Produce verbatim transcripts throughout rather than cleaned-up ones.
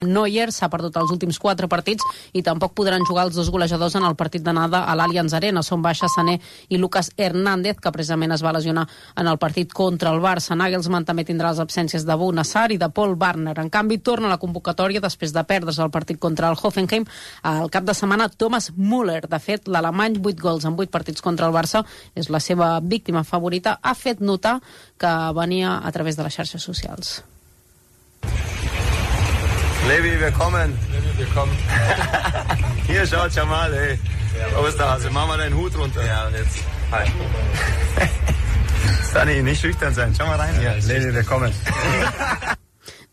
Neuer s'ha perdut els últims quatre partits i tampoc podran jugar els dos golejadors en el partit d'anada a l'Allianz Arena. Són baixa Sané i Lucas Hernández, que precisament es va lesionar en el partit contra el Barça. Nagelsmann també tindrà les absències de Bou Nassar i de Paul Warner. En canvi, torna a la convocatòria després de perdre's el partit contra el Hoffenheim al cap de setmana Thomas Müller. De fet, l'alemany, vuit gols en vuit partits contra el Barça, és la seva víctima favorita. Ha fet notar que venia a través de les xarxes socials. Levi, wir kommen. Levi, wir kommen. Hier, schaut schon mal, ey. Osterhase, mach mal deinen Hut runter. Ja, und jetzt. Hi. Stani, nicht schüchtern sein. Schau mal rein hier. Levi, wir kommen.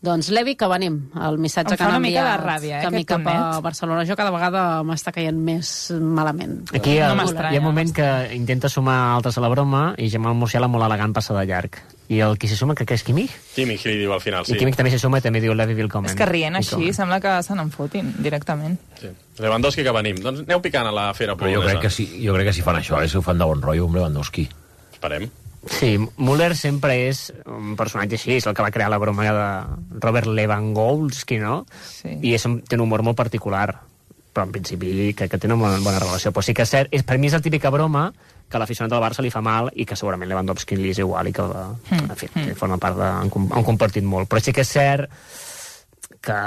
Doncs Levi, que venim. El missatge que han enviat ràbia, eh, camí cap a Barcelona. Jo cada vegada m'està caient més malament. Aquí hi ha, no hi ha un moment que intenta sumar altres a la broma i Jamal Musiala molt elegant passa de llarg. I el qui s'hi suma, que, que és Kimmich? Kimmich li diu al final, sí. I Kimmich també s'hi suma i també diu Levi Willkommen. És que rient així, sembla que se n'enfotin directament. Sí. Lewandowski, que venim. Doncs aneu picant a la fera polonesa. Jo crec que si, jo crec que si fan això, eh, si ho fan de bon rotllo amb Lewandowski. Esperem. Sí, Müller sempre és un personatge així, és el que va crear la broma de Robert Lewandowski, no? Sí. I és un, té un humor molt particular, però en principi crec que té una bona, bona relació. Però sí que és cert, és, per mi és la típica broma que a l'aficionat del Barça li fa mal i que segurament Lewandowski li és igual i que, mm. en fi, que forma part de... Han, han compartit molt. Però sí que és cert que,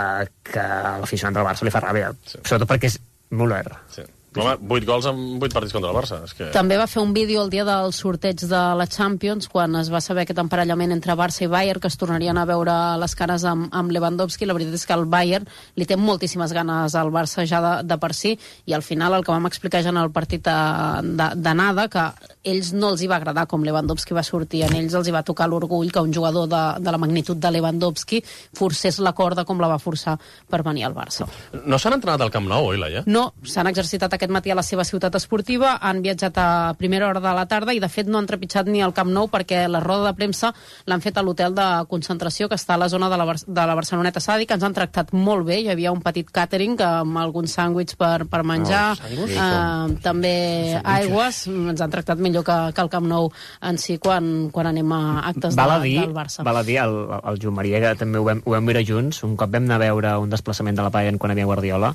que a l'aficionat del Barça li fa ràbia, sí. Sobretot perquè és Müller. Sí. Home, vuit gols en vuit partits contra el Barça. És que... També va fer un vídeo el dia del sorteig de la Champions, quan es va saber aquest emparellament entre Barça i Bayern, que es tornarien a veure les cares amb, amb Lewandowski. La veritat és que el Bayern li té moltíssimes ganes al Barça ja de, de per si, i al final el que vam explicar ja en el partit d'anada, que ells no els hi va agradar com Lewandowski va sortir, en ells els hi va tocar l'orgull que un jugador de, de la magnitud de Lewandowski forcés la corda com la va forçar per venir al Barça. No s'han entrenat al Camp Nou, oi, Laia? No, s'han exercitat aquest matí a la seva ciutat esportiva, han viatjat a primera hora de la tarda i de fet no han trepitjat ni al Camp Nou perquè la roda de premsa l'han fet a l'hotel de concentració que està a la zona de la, Bar de la Barceloneta Sadi, que ens han tractat molt bé. Hi havia un petit càtering amb alguns sàndwichs per, per menjar, oh, uh, també aigües. Ens han tractat millor que, que al Camp Nou en si quan, quan anem a actes de, dir, del Barça. Val a dir, el, el Joan Maria, que també ho vam, ho vam mirar junts, un cop vam anar a veure un desplaçament de la Bayern quan havia Guardiola,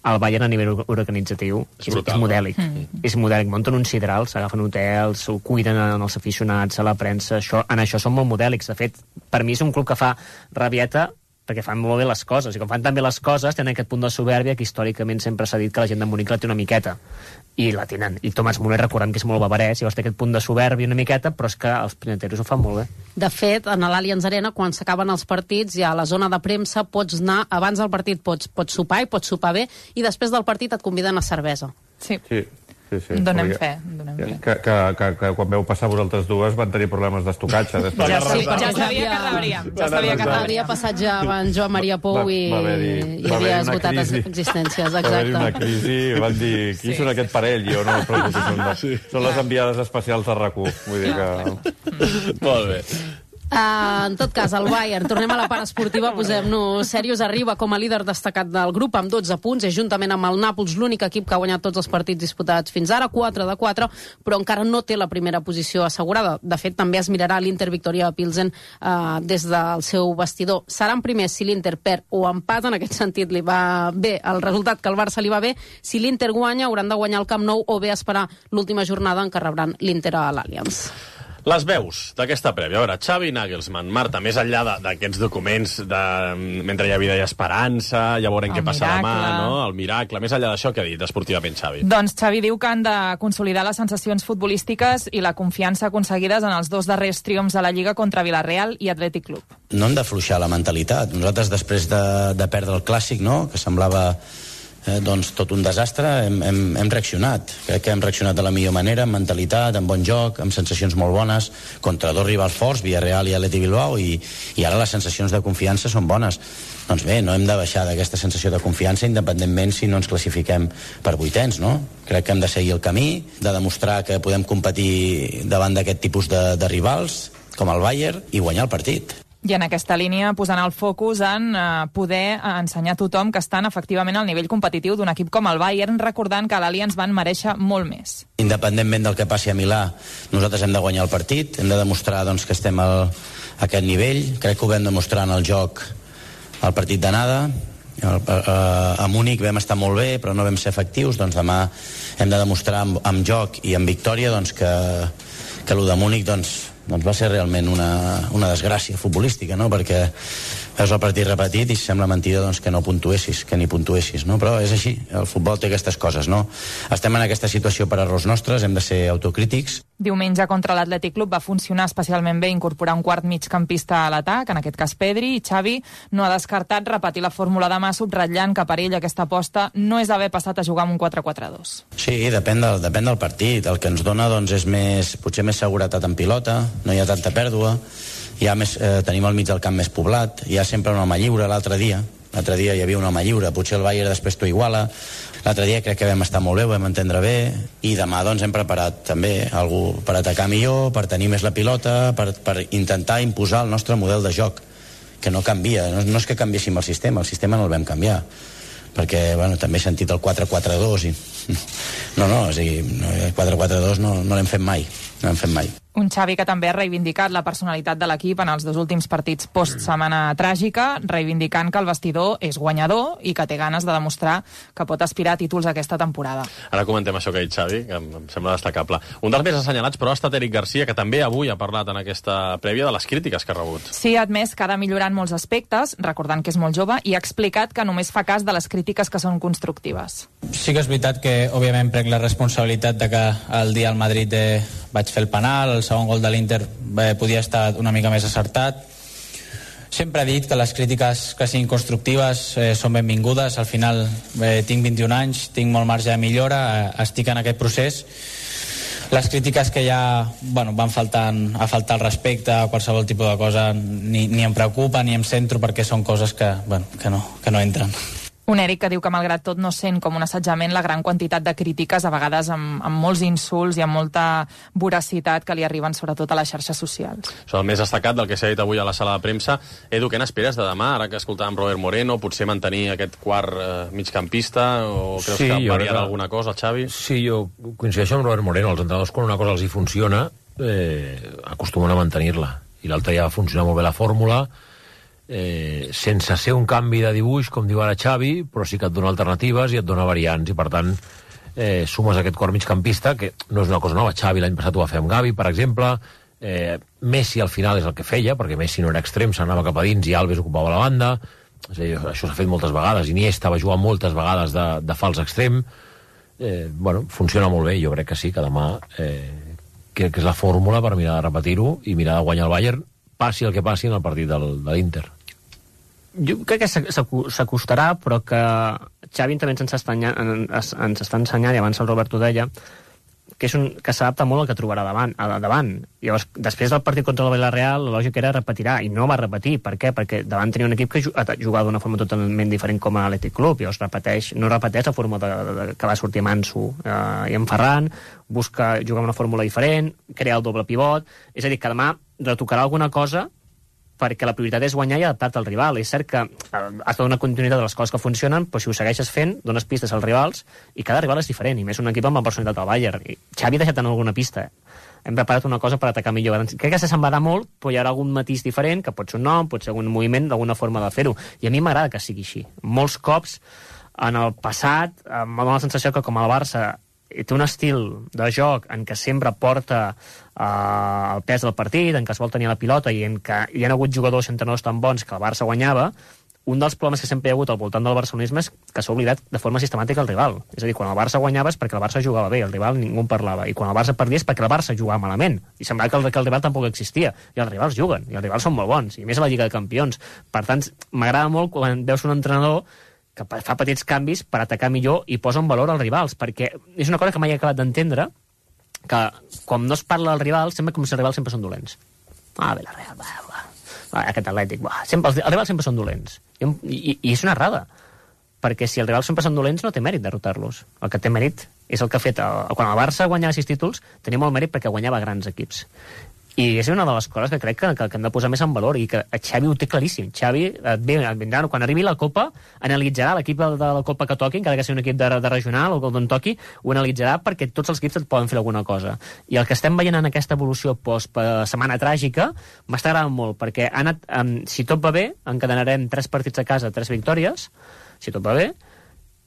el Bayern a nivell organitzatiu és, és, és modèlic. Mm. És modèlic. Munten uns sidrals, s'agafen hotels, ho cuiden en els aficionats, a la premsa. Això, en això són molt modèlics. De fet, per mi és un club que fa rabieta perquè fan molt bé les coses. I com fan tan bé les coses, tenen aquest punt de soberbia que històricament sempre s'ha dit que la gent de Munic la té una miqueta. I la tenen. I Thomas Müller, recordem que és molt bavarès, llavors té aquest punt de soberbia una miqueta, però és que els pineteros ho fan molt bé. De fet, a l'Allianz Arena, quan s'acaben els partits, ja a la zona de premsa pots anar, abans del partit pots, pots sopar i pots sopar bé, i després del partit et conviden a cervesa. Sí. Sí. Sí, sí, donem fe, donem fe. Que, que, que, que quan veu passar vosaltres dues van tenir problemes d'estocatge. Després ja, de sí, ja sabia que rebríem. Ja sabia que havia passat ja en Joan Maria Pou i, va, va i havia esgotat les existències. Exacte. Va haver-hi una crisi, van dir, qui sí. són aquest parell? Jo no, però són, sí. són les enviades especials de RAC u. Vull dir que... Molt bé. Uh, en tot cas, el Bayern, tornem a la part esportiva, posem-nos serios, arriba com a líder destacat del grup amb dotze punts, és juntament amb el Nàpols l'únic equip que ha guanyat tots els partits disputats fins ara, quatre de quatre, però encara no té la primera posició assegurada. De fet, també es mirarà l'Inter Victoria Pilsen uh, des del seu vestidor. Seran primers si l'Inter perd o empat, en aquest sentit li va bé el resultat que el Barça li va bé. Si l'Inter guanya, hauran de guanyar el Camp Nou o bé esperar l'última jornada en què rebran l'Inter a l'Allianz. Les veus d'aquesta prèvia. A veure, Xavi Nagelsmann, Marta, més enllà d'aquests documents de mentre hi ha vida i esperança, ja veurem el què passa demà, no? El miracle, més enllà d'això, què ha dit esportivament Xavi? Doncs Xavi diu que han de consolidar les sensacions futbolístiques i la confiança aconseguides en els dos darrers triomfs a la Lliga contra Villarreal i Atlètic Club. No hem d'afluixar la mentalitat. Nosaltres, després de, de perdre el Clàssic, no?, que semblava Eh, doncs tot un desastre, hem, hem, hem reaccionat. Crec que hem reaccionat de la millor manera, amb mentalitat, amb bon joc, amb sensacions molt bones, contra dos rivals forts, Villarreal i Atlètic Bilbao, i, i ara les sensacions de confiança són bones. Doncs bé, no hem de baixar d'aquesta sensació de confiança, independentment si no ens classifiquem per vuitens, no? Crec que hem de seguir el camí, de demostrar que podem competir davant d'aquest tipus de, de rivals, com el Bayern, i guanyar el partit. I en aquesta línia posant el focus en eh, poder ensenyar a tothom que estan efectivament al nivell competitiu d'un equip com el Bayern, recordant que l'Allianz van mereixer molt més. Independentment del que passi a Milà, nosaltres hem de guanyar el partit, hem de demostrar doncs, que estem al, a aquest nivell. Crec que ho vam demostrar en el joc el partit d'anada, a Múnich vam estar molt bé però no vam ser efectius, doncs demà hem de demostrar amb, amb joc i amb victòria doncs que, que el de Múnich doncs, doncs va ser realment una, una desgràcia futbolística, no? Perquè veus el partit repetit i sembla mentida doncs, que no puntuessis, que ni puntuessis, no? Però és així, el futbol té aquestes coses, no? Estem en aquesta situació per errors nostres, hem de ser autocrítics. Diumenge contra l'Atlètic Club va funcionar especialment bé incorporar un quart migcampista a l'atac, en aquest cas Pedri, i Xavi no ha descartat repetir la fórmula demà, subratllant que per ell aquesta aposta no és haver passat a jugar amb un quatre quatre dos. Sí, depèn del, depèn del partit. El que ens dona doncs, és més, potser més seguretat en pilota, no hi ha tanta pèrdua, hi ha més, eh, tenim al mig del camp més poblat, hi ha sempre un home lliure. L'altre dia l'altre dia hi havia un home lliure, potser el Bayern després t'ho iguala. L'altre dia crec que vam estar molt bé, ho vam entendre bé, i demà doncs hem preparat també algú per atacar millor, per tenir més la pilota, per, per intentar imposar el nostre model de joc, que no canvia, no, no és que canviéssim el sistema, el sistema no el vam canviar, perquè bueno, també he sentit el quatre quatre dos i no, no, és a dir, el quatre quatre dos no, no l'hem fet mai, no l'hem fet mai. Un Xavi que també ha reivindicat la personalitat de l'equip en els dos últims partits post-setmana tràgica, reivindicant que el vestidor és guanyador i que té ganes de demostrar que pot aspirar a títols aquesta temporada. Ara comentem això que ha dit Xavi, que em, em sembla destacable. Un dels més assenyalats, però, ha estat Eric Garcia, que també avui ha parlat en aquesta prèvia de les crítiques que ha rebut. Sí, ha admès que ha de millorar en molts aspectes, recordant que és molt jove, i ha explicat que només fa cas de les crítiques que són constructives. Sí que és veritat que, òbviament, prenc la responsabilitat de que el dia al Madrid eh, vaig fer el penal, el segon gol de l'Inter eh, podia estar una mica més acertat. Sempre he dit que les crítiques que siguin constructives eh, són benvingudes. Al final eh, tinc vint-i-un anys, tinc molt marge de millora, eh, estic en aquest procés. Les crítiques que ja bueno, van faltant, a faltar el respecte a qualsevol tipus de cosa ni, ni em preocupa ni em centro, perquè són coses que, bueno, que, no, que no entren. Un Eric que diu que, malgrat tot, no sent com un assetjament la gran quantitat de crítiques, a vegades amb, amb molts insults i amb molta voracitat que li arriben sobretot a les xarxes socials. Això el més destacat del que s'ha dit avui a la sala de premsa. Edu, què n'esperes de demà, ara que escoltàvem Robert Moreno, potser mantenir aquest quart eh, migcampista, o creus sí, que variarà que... alguna cosa, el Xavi? Sí, jo coincideixo amb Robert Moreno. Els entrenadors, quan una cosa els hi funciona, eh, acostumen a mantenir-la. I l'altre ja va funcionar molt bé la fórmula, Eh, sense ser un canvi de dibuix, com diu ara Xavi, però sí que et dona alternatives i et dona variants, i per tant eh, sumes aquest quart migcampista, que no és una cosa nova. Xavi l'any passat ho va fer amb Gavi, per exemple. eh, Messi al final és el que feia, perquè Messi no era extrem, s'anava cap a dins i Alves ocupava la banda. És a dir, això s'ha fet moltes vegades. Iniesta va jugar moltes vegades de, de fals extrem. eh, bueno, funciona molt bé. Jo crec que sí, que demà eh, crec que és la fórmula per mirar de repetir-ho i mirar de guanyar el Bayern, passi el que passi en el partit del, de l'Inter. Jo crec que s'acostarà, però que Xavi també ens està ensenyant, ens està ensenyant, i abans el Robert ho deia, que és un, que s'adapta molt al que trobarà davant, a davant. Llavors, després del partit contra el Villarreal, la lògica era repetirà, i no va repetir. Per què? Perquè davant tenia un equip que jugava d'una forma totalment diferent com a l'Atlètic Club. Llavors repeteix, no repeteix la forma de, de, que va sortir Manso eh, i en Ferran, busca jugar amb una fórmula diferent, crear el doble pivot. És a dir, que demà retocarà alguna cosa, perquè la prioritat és guanyar i adaptar-te al rival. És cert que has de donar continuïtat de les coses que funcionen, però si ho segueixes fent, dones pistes als rivals, i cada rival és diferent, i més un equip amb la personalitat del Bayern. I Xavi ha deixat en alguna pista. Hem preparat una cosa per atacar millor. Crec que s'assemblarà molt, però hi haurà algun matís diferent, que pot ser un nom, pot ser un moviment, d'alguna forma de fer-ho. I a mi m'agrada que sigui així. Molts cops, en el passat, m'ha donat la sensació que, com el Barça té un estil de joc en què sempre porta uh, el pes del partit, en què es vol tenir la pilota i en què hi ha hagut jugadors entrenadors tan bons que el Barça guanyava, un dels problemes que sempre hi ha hagut al voltant del barcelonisme és que s'ha oblidat de forma sistemàtica el rival. És a dir, quan el Barça guanyava és perquè el Barça jugava bé, el rival ningú en parlava, i quan el Barça perdia és perquè el Barça jugava malament, i semblava que el, que el rival tampoc existia, i els rivals juguen, i els rivals són molt bons, i més a la Lliga de Campions. Per tant, m'agrada molt quan veus un entrenador que fa petits canvis per atacar millor i posa en valor els rivals, perquè és una cosa que mai he acabat d'entendre, que quan no es parla dels rivals, sembla com si els rivals sempre són dolents. Ah, bé, la Real, va, va. Ah, aquest Atlètic, va. Sempre, els, els rivals sempre són dolents. I, i, I és una errada, perquè si els rivals sempre són dolents no té mèrit derrotar-los. El que té mèrit és el que ha fet... El, quan el Barça guanyava sis títols, tenia molt mèrit perquè guanyava grans equips. I és una de les coses que crec que, que, que hem de posar més en valor, i que Xavi ho té claríssim. Xavi, et ve, et vindrà, quan arribi la Copa, analitzarà l'equip de, de la Copa que toqui, encara que sigui un equip de, de regional o d'on toqui, ho analitzarà perquè tots els equips et poden fer alguna cosa. I el que estem veient en aquesta evolució post-setmana tràgica m'està agradant molt, perquè ha anat, um, si tot va bé, encadenarem tres partits a casa, tres victòries, si tot va bé,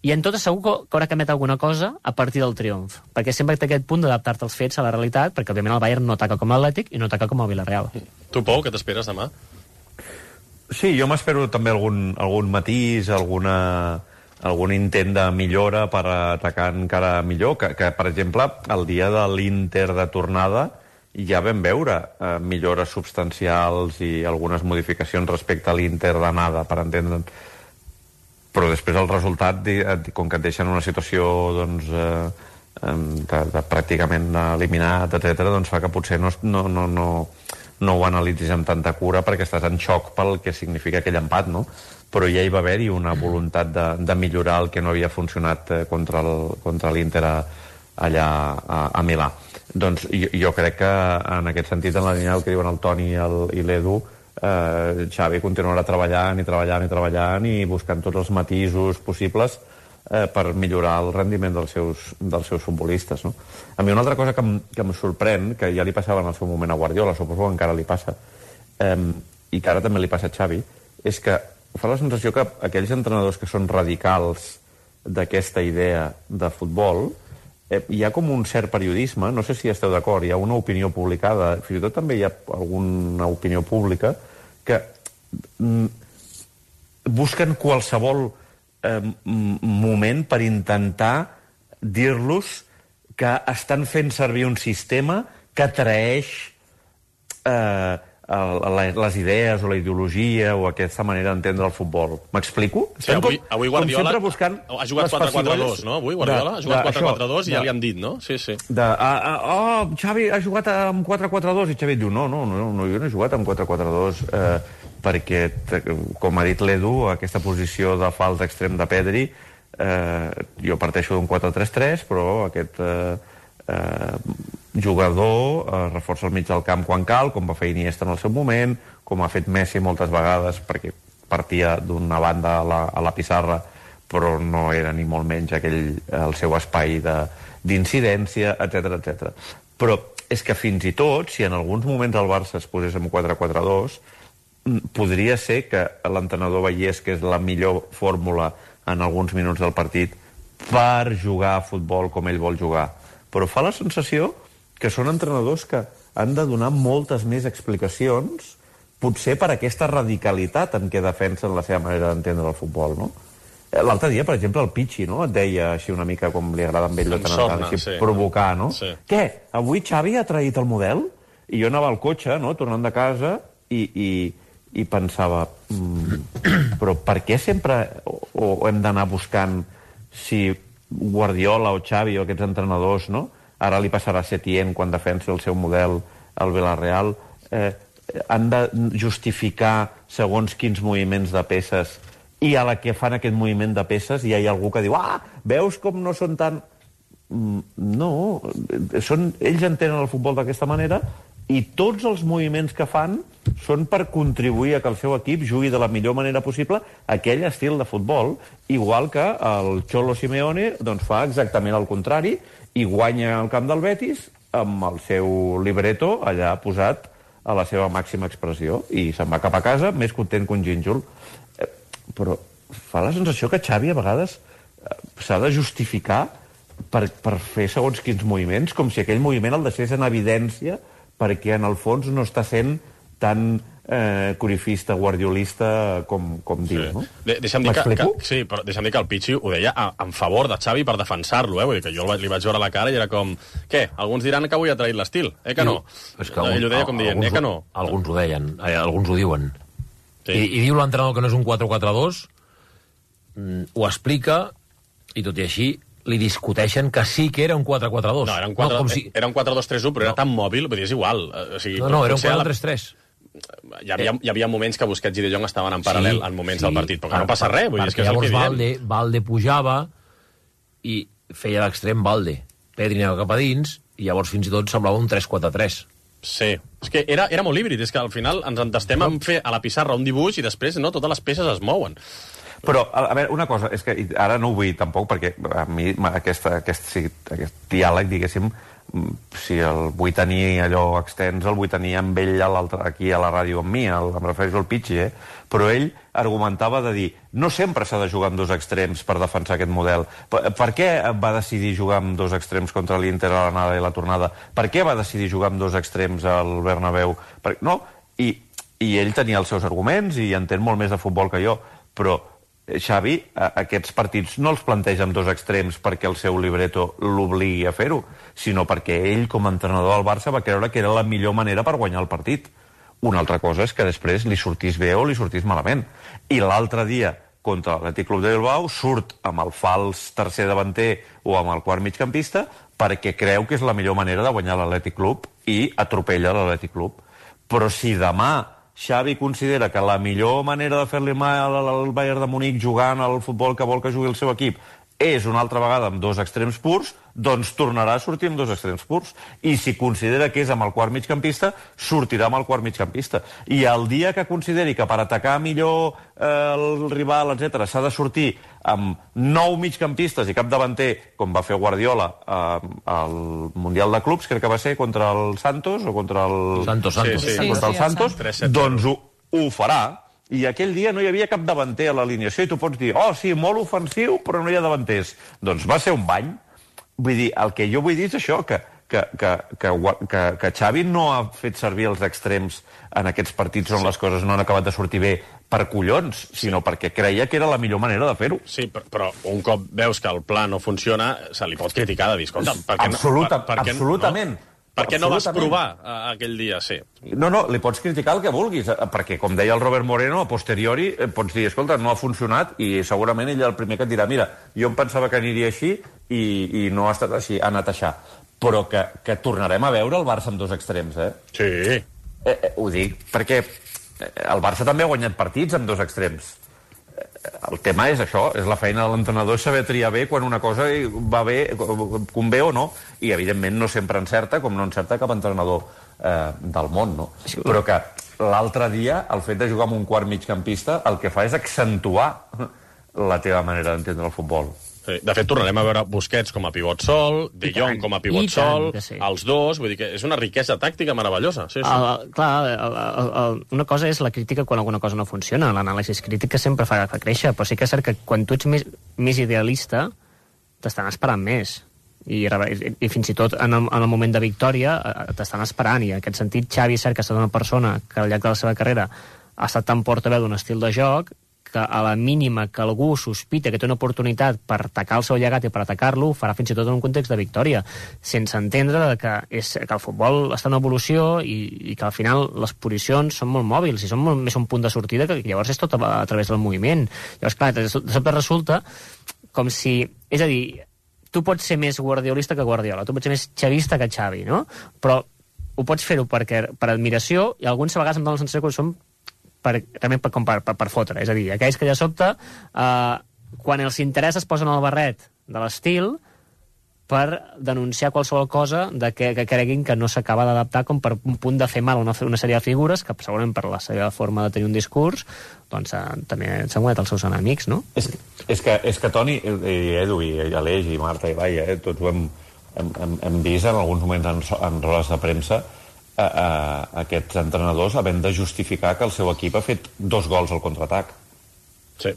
i en tot segur que haurà canviat alguna cosa a partir del triomf, perquè sempre té aquest punt d'adaptar-te als fets, a la realitat, perquè òbviament el Bayern no ataca com l'Atlètic i no ataca com el Villarreal. Tu, Pau, què t'esperes demà? Sí, jo m'espero també algun, algun matís, alguna, algun intent de millora per atacar encara millor, que, que per exemple, el dia de l'Inter de tornada ja vam veure eh, millores substancials i algunes modificacions respecte a l'Inter d'anada, per entendre'n. Però després el resultat, com que et deixen una situació doncs, eh, de, de pràcticament eliminat, etcètera, doncs fa que potser no, no, no, no, no ho analitzis amb tanta cura perquè estàs en xoc pel que significa aquell empat, no? Però ja hi va haver-hi una voluntat de, de millorar el que no havia funcionat eh, contra el, contra l'Inter allà a, a Milà. Doncs jo, jo crec que en aquest sentit, en la línia del que diuen el Toni i, el, i l'Edu, Uh, Xavi continuarà treballant i treballant i treballant i buscant tots els matisos possibles uh, per millorar el rendiment dels seus, dels seus futbolistes, no? A mi una altra cosa que em, que em sorprèn, que ja li passava en el seu moment a Guardiola, suposo que encara li passa, um, i que ara també li passa a Xavi, és que fa la sensació que aquells entrenadors que són radicals d'aquesta idea de futbol, eh, hi ha com un cert periodisme, no sé si esteu d'acord, hi ha una opinió publicada, fins i tot també hi ha alguna opinió pública que mm, busquen qualsevol eh, moment per intentar dir-los que estan fent servir un sistema que atraeix eh, les idees o la ideologia o aquesta manera d'entendre el futbol. M'explico? Sí, avui, avui Guardiola ha jugat quatre quatre dos, no? Avui Guardiola ha jugat quatre quatre dos i ja li han dit, no? Sí, sí. De, uh, uh, oh, Xavi ha jugat amb quatre quatre dos i Xavi diu, no, no, no, no jo no he jugat amb quatre quatre dos eh, perquè, com ha dit l'Edu, aquesta posició de fals extrem de Pedri, eh, jo parteixo d'un quatre tres tres, però aquest... Eh, Eh, jugador eh, reforça el mig del camp quan cal, com va fer Iniesta en el seu moment, com ha fet Messi moltes vegades, perquè partia d'una banda a la, a la pissarra, però no era ni molt menys aquell el seu espai d'incidència, etcètera, etcètera. Però és que fins i tot, si en alguns moments el Barça es posés amb quatre quatre dos, podria ser que l'entrenador veiés que és la millor fórmula en alguns minuts del partit per jugar a futbol com ell vol jugar. Però fa la sensació que són entrenadors que han de donar moltes més explicacions, potser per aquesta radicalitat en què defensen la seva manera d'entendre el futbol, no? L'altre dia, per exemple, el Pichi, no?, et deia així una mica com li agrada amb ell de tant en tant, així sí. Provocar, no? Sí. Què? Avui Xavi ha traït el model? I jo anava al cotxe, no?, tornant de casa, i, i, i pensava, mm, però per què sempre o, o hem d'anar buscant si Guardiola o Xavi o aquests entrenadors, no? Ara li passarà a Setién quan defensi el seu model al Villarreal, eh, han de justificar segons quins moviments de peces, i a la que fan aquest moviment de peces hi ha algú que diu, ah, veus com no són tan... No, són, ells entenen el futbol d'aquesta manera i tots els moviments que fan són per contribuir a que el seu equip jugui de la millor manera possible aquell estil de futbol, igual que el Cholo Simeone doncs, fa exactament el contrari i guanya el camp del Betis amb el seu libreto allà posat a la seva màxima expressió i se'n va cap a casa més content que un gínjol. Eh, però fa la sensació que Xavi a vegades eh, s'ha de justificar per, per fer segons quins moviments, com si aquell moviment el deixés en evidència perquè en el fons no està sent tan eh, corifista, guardiolista com, com diu, sí. No? De, deixa'm dir que, que, sí, però deixa'm dir que el Pichi ho deia a, en favor de Xavi per defensar-lo, eh? Vull dir que jo li vaig veure la cara i era com, què? Alguns diran que avui ha traït l'estil, eh que no? És que Ell ho deia com dient, alguns, eh que no? Alguns ho deien, eh, alguns ho diuen. Sí. I, I diu l'entrenador que no és un quatre quatre dos, mm, ho explica, i tot i així li discuteixen que sí que era un quatre quatre dos. No, era un quatre dos tres u, no, si... però no. Era tan mòbil, vull dir, és igual. O sigui, no, no, era un quatre tres tres. Hi havia, hi havia moments que Busquets i De Jong estaven en paral·lel sí, en moments sí, del partit, però que no passa res. Vull dir, és que és el que Valde, Valde pujava i feia l'extrem Valde. Pedri anava cap a dins i llavors fins i tot semblava un tres quatre tres. Sí, És que era, era molt híbrid, és que al final ens entestem en fer a la pissarra un dibuix i després no, totes les peces es mouen. Però, a veure, una cosa, és que ara no ho vull tampoc, perquè a mi aquesta, aquest, sí, aquest diàleg, diguéssim, si el vull tenir allò extens, el vull tenir amb ell a aquí a la ràdio amb mi, el, em refereixo al Pichi, eh? Però ell argumentava de dir no sempre s'ha de jugar amb dos extrems per defensar aquest model. Per, per què va decidir jugar amb dos extrems contra l'Inter a l'anada i la tornada? Per què va decidir jugar amb dos extrems al Bernabéu? Per, no? I, I ell tenia els seus arguments i entén molt més de futbol que jo, però Xavi, aquests partits no els planteja amb dos extrems perquè el seu libreto l'obligui a fer-ho, sinó perquè ell, com a entrenador del Barça, va creure que era la millor manera per guanyar el partit. Una altra cosa és que després li sortís bé o li sortís malament. I l'altre dia, contra l'Atlètic Club de Bilbao, surt amb el fals tercer davanter o amb el quart migcampista perquè creu que és la millor manera de guanyar l'Atlètic Club i atropella l'Atlètic Club. Però si demà Xavi considera que la millor manera de fer-li mal al Bayern de Munic jugant al futbol que vol que jugui el seu equip és una altra vegada amb dos extrems purs, doncs tornarà a sortir amb dos extrems purs. I si considera que és amb el quart migcampista, sortirà amb el quart migcampista. I el dia que consideri que per atacar millor eh, el rival, etcètera, s'ha de sortir amb nou migcampistes i cap davanter, com va fer Guardiola eh, al Mundial de Clubs, crec que va ser contra el Santos, o contra el... Santos, Santos. Sí, sí. Contra el Santos, doncs ho, ho farà. I aquell dia no hi havia cap davanter a l'alineació i tu pots dir, oh, sí, molt ofensiu, però no hi ha davanters. Doncs va ser un bany. Vull dir, el que jo vull dir és això, que, que, que, que, que, que Xavi no ha fet servir els extrems en aquests partits on sí. les coses no han acabat de sortir bé per collons, sinó sí. perquè creia que era la millor manera de fer-ho. Sí, però, però un cop veus que el pla no funciona, se li pot criticar de dir, escolta, per què Absoluta, no? Per, per absolutament. No? Per què no vas provar uh, aquell dia, sí? No, no, li pots criticar el que vulguis, perquè, com deia el Robert Moreno, a posteriori eh, pots dir, escolta, no ha funcionat, i segurament ell el primer que et dirà, mira, jo em pensava que aniria així i, i no ha estat així, ha anat així. Però que, que tornarem a veure el Barça amb dos extrems, eh? Sí. Eh, eh, ho dic perquè el Barça també ha guanyat partits amb dos extrems. El tema és això, és la feina de l'entrenador, és saber triar bé quan una cosa va bé, convé o no, i evidentment no sempre encerta, com no encerta cap entrenador eh, del món, no? Però que l'altre dia, el fet de jugar amb un quart migcampista, el que fa és accentuar la teva manera d'entendre el futbol. Sí. De fet, tornarem a veure Busquets com a pivot sol, De Jong com a pivot sol, sí. els dos, vull dir que és una riquesa tàctica meravellosa. Sí, sí. El, clar, el, el, el, una cosa és la crítica quan alguna cosa no funciona, l'anàlisi crítica sempre fa, fa créixer, però sí que és cert que quan tu ets més, més idealista, t'estan esperant més. I, i, i fins i tot en el, en el moment de victòria t'estan esperant, i en aquest sentit Xavi és cert que ha estat una persona que al llarg de la seva carrera ha estat tan portaveu d'un estil de joc que a la mínima que algú sospita que té una oportunitat per atacar el seu llegat i per atacar-lo, ho farà fins i tot en un context de victòria, sense entendre que, és, que el futbol està en evolució i, i que al final les posicions són molt mòbils i són molt més un punt de sortida, que llavors és tot a, a través del moviment. Llavors, clar, de sobte resulta com si... És a dir, tu pots ser més guardiolista que Guardiola, tu pots ser més xavista que Xavi, no? Però ho pots fer-ho perquè, per admiració, i alguns a vegades em donen la sensació que són per, realment per, per, per, per fotre. És a dir, aquells que ja sobte, eh, quan els interessa es posen el barret de l'estil per denunciar qualsevol cosa de que, que creguin que no s'acaba d'adaptar, com per un punt de fer mal a una, una sèrie de figures que segurament per la seva forma de tenir un discurs doncs eh, també s'han guanyat els seus enemics, no? És, és, que, és que Toni, i Edu, i Aleix, i Marta, i Laia, eh, tots ho hem, hem, hem, hem vist en alguns moments en, en rodes de premsa, a, a, aquests entrenadors havent de justificar que el seu equip ha fet dos gols al contraatac. Sí.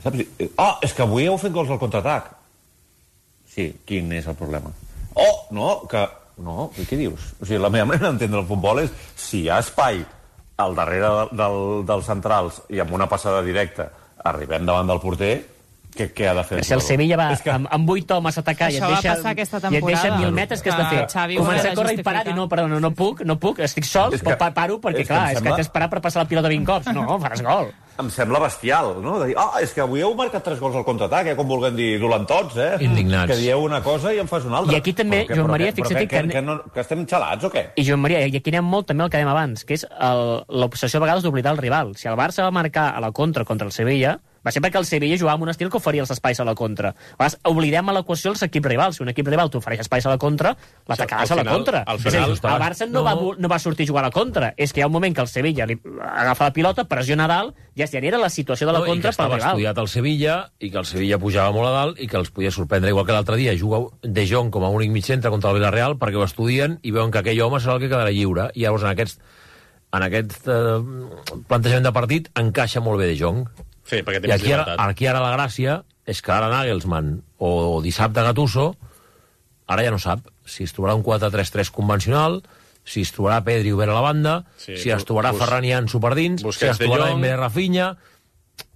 Saps? Oh, és que avui heu fet gols al contraatac. Sí, quin és el problema? Oh, no, que... No, i què dius? O sigui, la meva manera d'entendre el futbol és si hi ha espai al darrere del, del, dels centrals i amb una passada directa arribem davant del porter, què, què ha de fer? Si el Sevilla va que... amb, amb vuit homes a atacar i et deixa, i et deixa mil metres, què has de fer? Xavi començar a córrer i parar i no, perdó, no, no puc, no puc, estic sol, és que, paro perquè, és clar, és que t'has d'esperar per passar la pilota vint cops. No, faràs gol. Em sembla bestial, no? De dir, ah, oh, és que avui heu marcat tres gols al contraatac, eh? Com vulguem dir, dolentots, eh? Indignats. Que dieu una cosa i en fas una altra. I aquí també, que, Joan Maria, fixa't que... Que, que, no, que estem xalats o què? I Joan Maria, i aquí anem molt també el que dèiem abans, que és l'obsessió a vegades d'oblidar el rival. Si el Barça va marcar a la contra contra el Sevilla, va ser perquè el Sevilla jugava amb un estil que oferia els espais a la contra. A vegades oblidem a l'equació els equips rivals. Si un equip rival t'ofereix espais a la contra, l'atacaràs a la contra. Al final, és a dir, el Barça no, no. Va, no va sortir a jugar a la contra. És que hi ha un moment que el Sevilla li agafa la pilota, pressiona a dalt, ja si era la situació de la no, contra pel rival. I que estava estudiat el Sevilla, i que el Sevilla pujava molt a dalt, i que els podia sorprendre, igual que l'altre dia. Juga De Jong com a únic mig centre contra el Villarreal, perquè ho estudien i veuen que aquell home serà el que quedarà lliure. I llavors en aquest, en aquest eh, plantejament de partit encaixa molt bé De Jong. Sí, perquè té I més aquí ara, llibertat. aquí ara la gràcia és que ara Nagelsmann o dissabte Gattuso ara ja no sap si es trobarà un quatre tres tres convencional, si es trobarà Pedri obert a la banda, sí, si es trobarà bus... Ferran i Ansu per dins, si es trobarà Dembélé, Rafinha...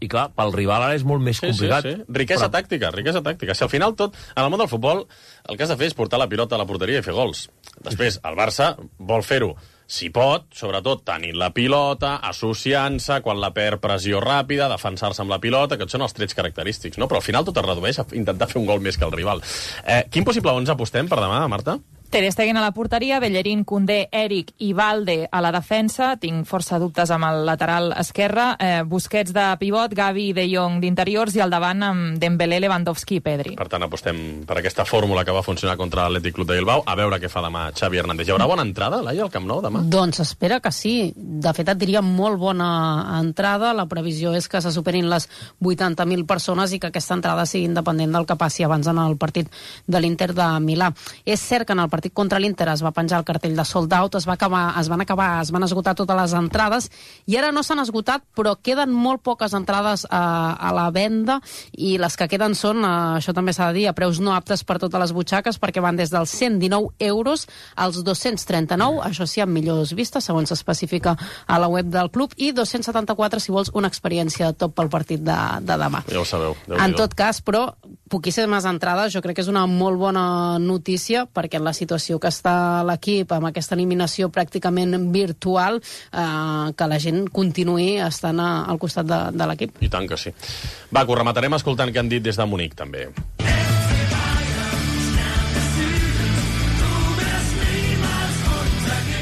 I clar, pel rival ara és molt més sí, complicat. Sí, sí. Riquesa però... tàctica, riquesa tàctica. Si al final tot, en el món del futbol, el que has de fer és portar la pilota a la porteria i fer gols. Després, el Barça vol fer-ho, si pot, sobretot tenint la pilota, associant-se, quan la perd pressió ràpida, defensar-se amb la pilota, que són els trets característics, no? Però al final tot es redueix a intentar fer un gol més que el rival. Eh, quin possible onze apostem per demà, Marta? Ter Stegen a la porteria, Bellerín, Koundé, Eric i Valde a la defensa. Tinc força dubtes amb el lateral esquerre. Eh, Busquets de pivot, Gavi i De Jong d'interiors i al davant amb Dembélé, Lewandowski i Pedri. Per tant, apostem per aquesta fórmula que va funcionar contra l'Atlètic Club de Bilbao. A veure què fa demà Xavi Hernández. Hi haurà bona entrada, Laia, al Camp Nou demà? Doncs espera que sí. De fet, et diria molt bona entrada. La previsió és que se superin les vuitanta mil persones i que aquesta entrada sigui independent del que passi abans en el partit de l'Inter de Milà. És cert que en el partit contra l'Inter es va penjar el cartell de sold out, es, va acabar, es van acabar, es van esgotar totes les entrades i ara no s'han esgotat, però queden molt poques entrades a, a la venda i les que queden són, a, això també s'ha de dir, a preus no aptes per totes les butxaques perquè van des dels cent dinou euros als dos-cents trenta-nou, això sí, amb millors vistes, segons s'especifica a la web del club, i dos-cents setanta-quatre si vols una experiència de top pel partit de, de demà. Ja ho sabeu. En tot cas, però, poquíssimes entrades, jo crec que és una molt bona notícia perquè en la situació que està l'equip amb aquesta eliminació pràcticament virtual, eh, que la gent continuï estant a, al costat de, de l'equip. I tant que sí. Va, que ho rematarem escoltant què han dit des de Munic, també.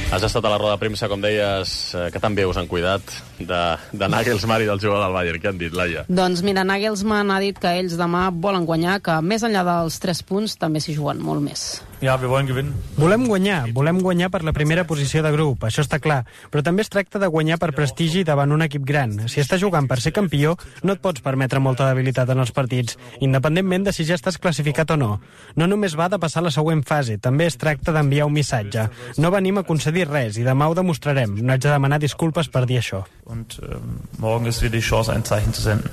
Has estat a la roda de premsa, com deies, que tan bé us han cuidat de, de Nagelsmann i del jugador del Bayern. Què han dit, Laia? Doncs mira, Nagelsmann ha dit que ells demà volen guanyar, que més enllà dels tres punts també s'hi juguen molt més. Ja, wir wollen gewinnen. Volem guanyar, volem guanyar per la primera posició de grup, això està clar, però també es tracta de guanyar per prestigi davant un equip gran. Si estàs jugant per ser campió, no et pots permetre molta debilitat en els partits, independentment de si ja estàs classificat o no. No només va de passar la següent fase, també es tracta d'enviar un missatge. No venim a concedir res i demà ho demostrarem. No haig de demanar disculpes per dir això. Und äh, morgen ist wieder die Chance, ein Zeichen zu senden.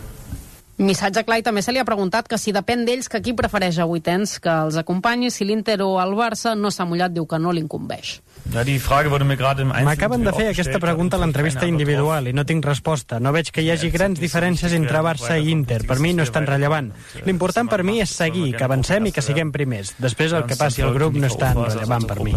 Missatge clar, i també se li ha preguntat que si depèn d'ells que qui prefereix a vuitens que els acompanyi, si l'Inter o el Barça, no s'ha mullat, diu que no l'incumbeix. M'acaben de fer aquesta pregunta a l'entrevista individual i no tinc resposta. No veig que hi hagi grans diferències entre Barça i Inter. Per mi no és tan rellevant. L'important per mi és seguir, que avancem i que siguem primers. Després el que passi al grup no és tan rellevant per mi.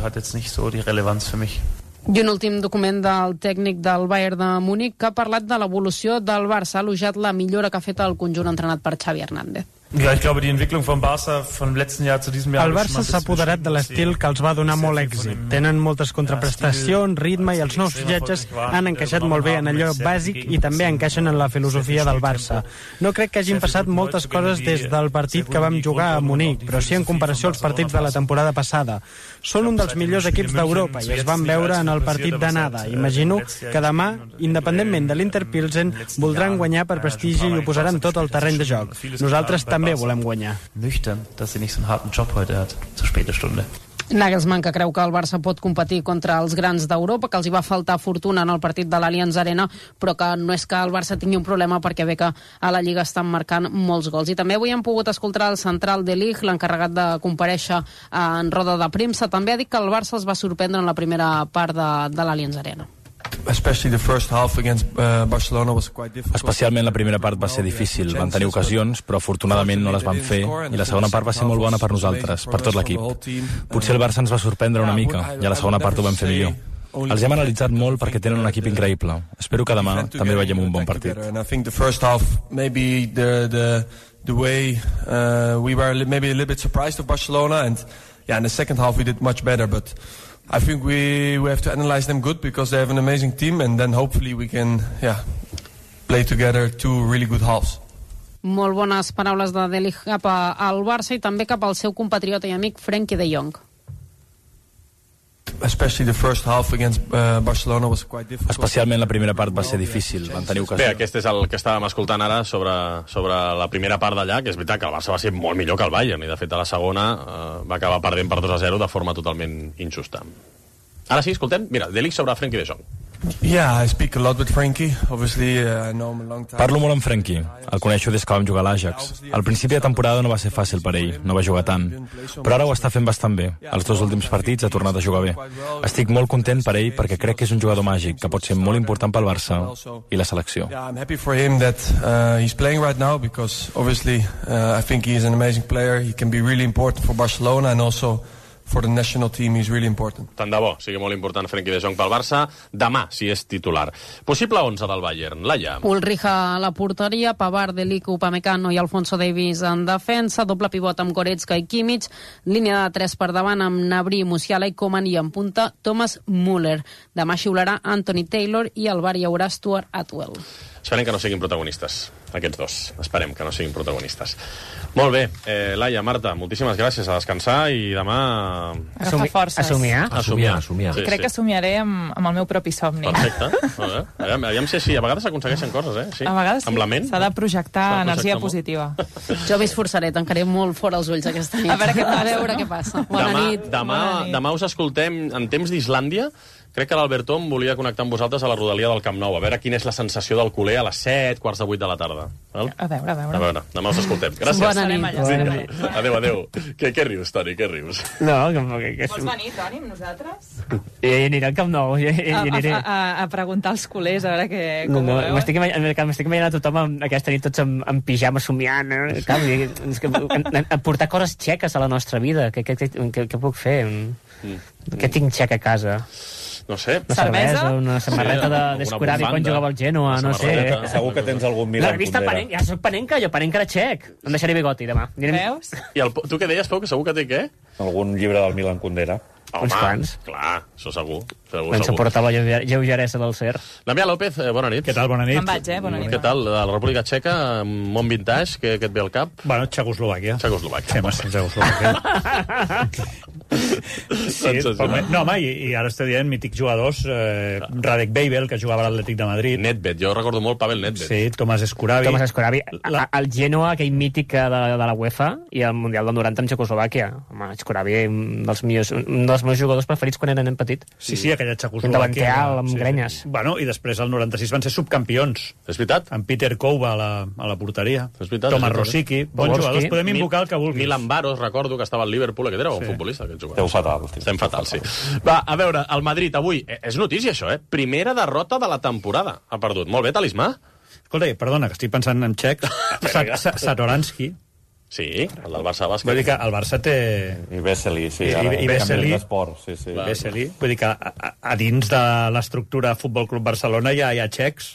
I un últim document del tècnic del Bayern de Múnich que ha parlat de l'evolució del Barça, ha elogiat la millora que ha fet el conjunt entrenat per Xavi Hernández. Ja, ich glaube, die Entwicklung vom Barça vom letzten Jahr zu diesem Jahr... El Barça s'ha apoderat de l'estil que els va donar molt èxit. Tenen moltes contraprestacions, ritme, i els nous fitxatges han encaixat molt bé en allò bàsic i també encaixen en la filosofia del Barça. No crec que hagin passat moltes coses des del partit que vam jugar a Munic, però sí en comparació als partits de la temporada passada. Són un dels millors equips d'Europa i es van veure en el partit d'anada. Imagino que demà, independentment de l'Inter Pilsen, voldran guanyar per prestigi i ho posaran tot al terreny de joc. Nosaltres també també volem guanyar. Nüchtern, dass sie nicht so einen harten Job heute hat, zur späten Stunde. Nagelsmann, que creu que el Barça pot competir contra els grans d'Europa, que els hi va faltar fortuna en el partit de l'Allianz Arena, però que no és que el Barça tingui un problema perquè ve que a la Lliga estan marcant molts gols. I també avui hem pogut escoltar el central de Ligt, l'encarregat de comparèixer en roda de premsa. També ha dit que el Barça els va sorprendre en la primera part de, de l'Allianz Arena. Especialment la primera part va ser difícil, van tenir ocasions, però afortunadament no les van fer, i la segona part va ser molt bona per nosaltres, per tot l'equip. Potser el Barça ens va sorprendre una mica, i a la segona part ho vam fer millor. Els hem analitzat molt perquè tenen un equip increïble. Espero que demà també veiem un bon partit. The way uh, we were maybe a little bit surprised of Barcelona, and yeah, in the second half we did much better, but I think we, we have to analyze them good because they have an amazing team, and then hopefully we can yeah, play together two really good halves. Molt bones paraules de De Ligt cap al Barça i també cap al seu compatriota i amic Frenkie de Jong. Especialment la primera part va ser difícil, van tenir ocasió. Bé, aquest és el que estàvem escoltant ara sobre, sobre la primera part d'allà, que és veritat que el Barça va ser molt millor que el Bayern, i de fet a la segona eh, va acabar perdent per dos a zero de forma totalment injusta. Ara sí, escoltem, mira, De Ligt sobre Frenkie de Jong. Yeah, I speak a lot with Frenkie. Obviously, uh, I know him a long time. Parlo molt amb Frenkie. El coneixo des que vam jugar a l'Ajax. Al principi de temporada no va ser fàcil per ell, no va jugar tant. Però ara ho està fent bastant bé. Els dos últims partits ha tornat a jugar bé. Estic molt content per ell perquè crec que és un jugador màgic que pot ser molt important pel Barça i la selecció. Yeah, I'm happy for him that uh, he's playing right now because obviously uh, I think he is an amazing player. He can be really important for Barcelona and also for the national team is really important. Tant de bo, sigui molt important Frenkie de Jong pel Barça. Demà, si és titular. Possible onze del Bayern. Laia. Ulrich a la porteria, Pavard, De Ligt, Upamecano i Alfonso Davies en defensa, doble pivot amb Goretzka i Kimmich, línia de tres per davant amb Gnabry, Musiala i Koeman i en punta Thomas Müller. Demà xiularà Anthony Taylor i al bar hi haurà Stuart Atwell. Esperem que no siguin protagonistes, aquests dos. Esperem que no siguin protagonistes. Molt bé, eh, Laia, Marta, moltíssimes gràcies, a descansar i demà... Agafar forces. Assumiar? Assumiar, assumiar. Sí, Crec sí. que somiaré amb, amb el meu propi somni. Perfecte. Veure, aviam, aviam si així. A vegades s'aconsegueixen coses, eh? Sí. A vegades sí. Amb la ment. S'ha de projectar energia positiva. Jo m'esforçaré, tancaré molt fora els ulls aquesta nit. A veure què passa. A veure què passa. Bona demà, nit. Demà, Bona nit. demà us escoltem en temps d'Islàndia. Crec que l'Albert Tom volia connectar amb vosaltres a la rodalia del Camp Nou, a veure quina és la sensació del culer a les set, quarts de vuit de la tarda. Val? A veure, a veure. A veure, demà us escoltem. Gràcies. Bona nit. Bona nit. Adéu, adéu. Què, què rius, Toni, què rius? No, que... que, que... Vols venir, Toni, amb nosaltres? I aniré al Camp Nou. I, i, a, aniré... a, a, a preguntar als culers, a veure què, no, com no, ho veuen. M'estic imaginant, imaginant a tothom amb, aquesta nit tots amb, amb pijama somiant. Eh? Clar, és que, a, a portar coses txeques a la nostra vida. Què, què, què, què puc fer? Mm. Què tinc txec a casa? No sé. Una cervesa, una samarreta sí, de, d'Escuravi quan jugava al Genoa, no sé. Segur que tens algun Milan La revista Panenka, ja soc Panenka, jo Panenka era txec. Em deixaré bigoti demà. Veus? I el, tu què deies, Pau, que segur que té què? Algun llibre del Milan Kundera. Home, uns quants. Clar, això segur. segur Ens suporta la lleugeresa del Cer. Damià López, eh, bona nit. Què tal, bona nit? Me'n vaig, eh? Bona nit. Què tal, de la República Txeca, món vintage, què, què et ve al cap? Bueno, Txecoslovàquia. Txecoslovàquia. Fem estem Txecoslovàquia. Sí, home, no, home, i, i ara estic dient mítics jugadors, eh, Radek Babel, que jugava a l'Atlètic de Madrid. Nedved, jo recordo molt Pavel Nedved. Sí, Tomàs Escuravi. Tomàs Escuravi, la... el Genoa, aquell mític de, de la UEFA, i el Mundial del noranta amb Txecoslovàquia. Home, Escuravi, un dels, millors, un dels meus jugadors preferits quan eren nen petit. Sí, sí, aquella Txecoslovàquia. Un davanter alt, amb sí, grenyes. Sí. Bueno, i després el noranta sis van ser subcampions. És veritat. Amb Peter Kouba a la, a la porteria. És veritat. Tomàs Rosicky, bons jugadors. Podem invocar el que vulguis. Milan Baros, recordo que estava al Liverpool, aquest era un sí. futbolista, aquest jugador. Esteu fatal. Estem fatal, sí. Va, a veure, el Madrid avui, és notícia això, eh? Primera derrota de la temporada. Ha perdut. Molt bé, talismà. Escolta, perdona, que estic pensant en txec. Satoransky. Sí, el del Barça bàsquet. Vull dir que el Barça té... I Vesely, sí. I, ara, i Vesely. Sí, sí. Vesely. Vull dir que a, a, a dins de l'estructura Futbol Club Barcelona hi ha, hi ha txecs.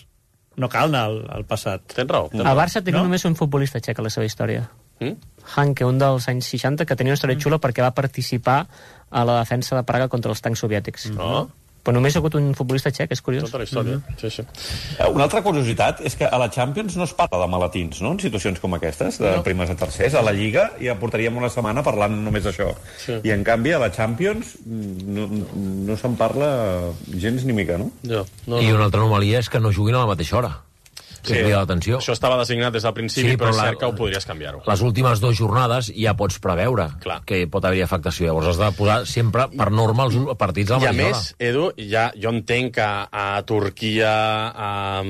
No cal anar al, al passat. Tens raó. El Barça té no? només un futbolista txec a la seva història. Mm? Hanke, un dels anys seixanta, que tenia una història xula perquè va participar a la defensa de Praga contra els tancs soviètics. No? Però només ha hagut un futbolista txec, és curiós. Tota la història, mm-hmm. sí, sí. Una altra curiositat és que a la Champions no es parla de maletins, no?, en situacions com aquestes, de no. primers a tercers. A la Lliga ja portaríem una setmana parlant només d'això. Sí. I, en canvi, a la Champions no, no se'n parla gens ni mica, no? Ja. No, no. I una altra anomalia és que no juguin a la mateixa hora. Sí, l'atenció. Això estava designat des del principi, sí, però, però és cert que ho podries canviar-ho. Les últimes dues jornades ja pots preveure Clar. que pot haver afectació. Llavors has de posar sempre per norma els partits a la mateixa hora. I a més, Edu, ja, jo entenc que a Turquia, a,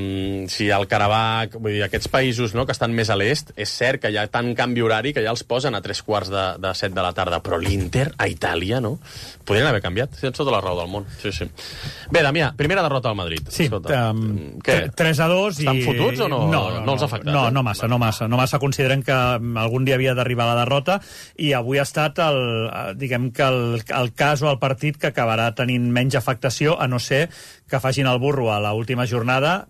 si al Karabakh, vull dir, aquests països no, que estan més a l'est, és cert que hi ha tant canvi horari que ja els posen a tres quarts de, de set de la tarda, però l'Inter, a Itàlia, no? Podrien haver canviat, tens tota la raó del món. Sí, sí. Bé, Damià, primera derrota al Madrid. Sí, um, tres a dos i... Estan fotuts o no, no, no, no els ha afectat? No, eh? no massa, no massa. No massa consideren que algun dia havia d'arribar la derrota i avui ha estat el, diguem que el, el cas o el partit que acabarà tenint menys afectació, a no ser que facin el burro a l'última jornada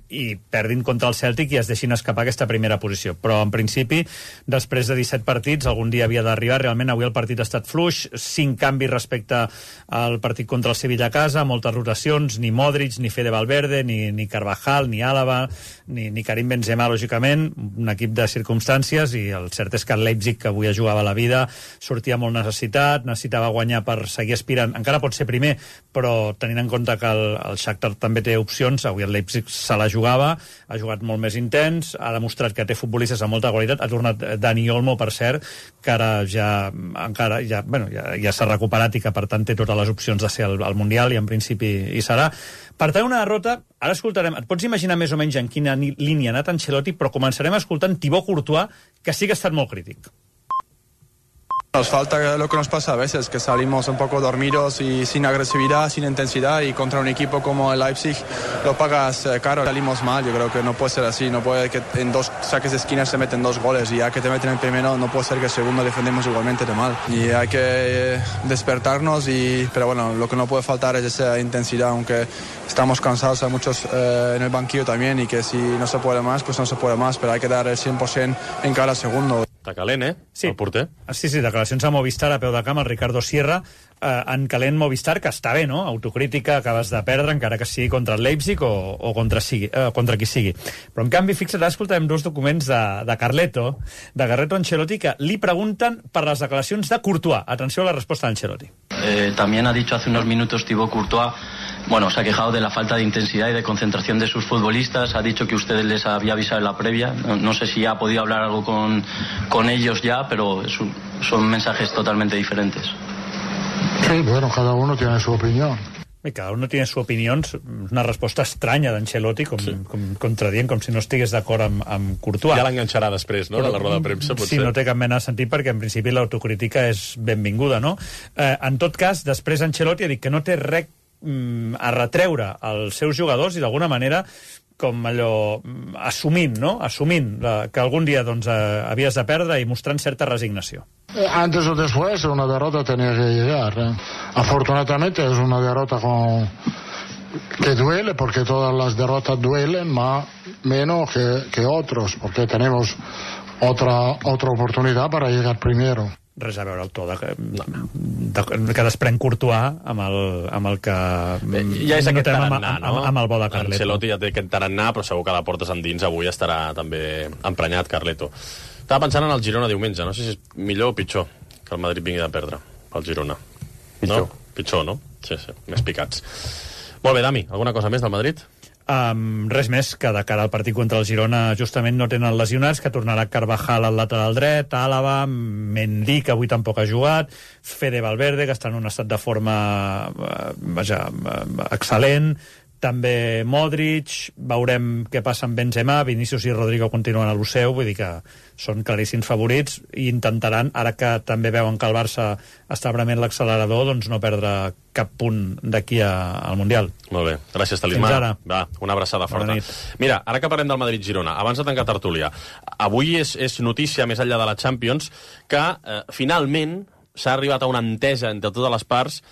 i perdin contra el Celtic i es deixin escapar aquesta primera posició. Però, en principi, després de disset partits, algun dia havia d'arribar. Realment, avui el partit ha estat fluix, cinc canvis respecte al partit contra el Sevilla a casa, moltes rotacions, ni Modric, ni Fede Valverde, ni, ni Carvajal, ni Álava, ni, ni Karim Benzema, lògicament, un equip de circumstàncies, i el cert és que el Leipzig, que avui jugava la vida, sortia molt necessitat, necessitava guanyar per seguir aspirant. Encara pot ser primer, però tenint en compte que el, el Shakhtar també té opcions, avui el Leipzig se la jugava, ha jugat molt més intens, ha demostrat que té futbolistes amb molta qualitat, ha tornat Dani Olmo, per cert, que ara ja, encara, ja, bueno, ja, ja s'ha recuperat i que per tant té totes les opcions de ser al, al Mundial, i en principi hi serà. Per tant, una derrota, ara escoltarem, et pots imaginar més o menys en quina línia ha anat Ancelotti, però començarem escoltant Thibaut Courtois, que sí que ha estat molt crític. Nos falta lo que nos pasa a veces, que salimos un poco dormidos y sin agresividad, sin intensidad, y contra un equipo como el Leipzig lo pagas eh, caro. Salimos mal, yo creo que no puede ser así, no puede que en dos saques de esquina se meten dos goles, y ya que te meten el primero no puede ser que el segundo defendemos igualmente de mal. Y hay que eh, despertarnos, y, pero bueno, lo que no puede faltar es esa intensidad, aunque estamos cansados, hay muchos eh, en el banquillo también, y que si no se puede más, pues no se puede más, pero hay que dar el cien por ciento en cada segundo. Està calent, eh? Sí. El porter. Sí, sí, declaracions a Movistar a peu de camp, el Ricardo Sierra, eh, en calent Movistar, que està bé, no? Autocrítica, acabes de perdre, encara que sigui contra el Leipzig o, o contra, sigui, eh, contra qui sigui. Però, en canvi, fixa't, escoltarem dos documents de, de Carleto, de Carleto Ancelotti, que li pregunten per les declaracions de Courtois. Atenció a la resposta d'Ancelotti. Eh, también ha dicho hace unos minutos Thibaut Courtois, bueno, se ha quejado de la falta de intensidad y de concentración de sus futbolistas, ha dicho que usted les había avisado en la previa, no, no sé si ha podido hablar algo con, con ellos ya, pero es un, son mensajes totalmente diferentes. Sí, bueno, cada uno tiene su opinión. I cada uno tiene su opinió, una resposta estranya d'Ancelotti, com, sí. com, contradient, com si no estigués d'acord amb, amb Courtois. Ja l'enganxarà després, no?, de la roda de premsa, potser. Sí, no té cap mena de sentit, perquè en principi l'autocrítica és benvinguda, no? Eh, en tot cas, després Ancelotti ha dit que no té res mm, a retreure als seus jugadors, i d'alguna manera com allò, assumint, no?, assumint la, que algun dia doncs, eh, havies de perdre, i mostrant certa resignació. Antes o después una derrota tenía que llegar. ¿eh? Afortunadamente es una derrota con... que duele, porque todas las derrotas duelen, más menos que, que otros, porque tenemos otra, otra oportunidad para llegar primero. Res a veure el to de, de, que desprèn Courtois amb el, amb el que ja és aquest tarannà, amb, amb, amb el bo de Carleto. Ancelotti ja té aquest tarannà, però segur que la portes endins avui estarà també emprenyat Carleto. Estava pensant en el Girona diumenge, no sé si és millor o pitjor que el Madrid vingui de perdre pel Girona. Pitjor. No? Pitjor, no? Sí, sí, més picats. Molt bé, Dami, alguna cosa més del Madrid? Um, res més, que de cara al partit contra el Girona justament no tenen lesionats, que tornarà Carvajal al lateral dret, Álava, Mendy, que avui tampoc ha jugat, Fede Valverde, que està en un estat de forma uh, vaja, uh, excel·lent, també Modric, veurem què passa amb Benzema, Vinícius i Rodrigo continuen a l'U C E U, vull dir que són claríssims favorits, i intentaran, ara que també veuen que el Barça està prement l'accelerador, doncs no perdre cap punt d'aquí al Mundial. Molt bé, gràcies, Talismà. Fins ara. Va, una abraçada forta. Mira, ara que parlem del Madrid-Girona, abans de tancar tertúlia, avui és, és notícia, més enllà de la Champions, que eh, finalment s'ha arribat a una entesa entre totes les parts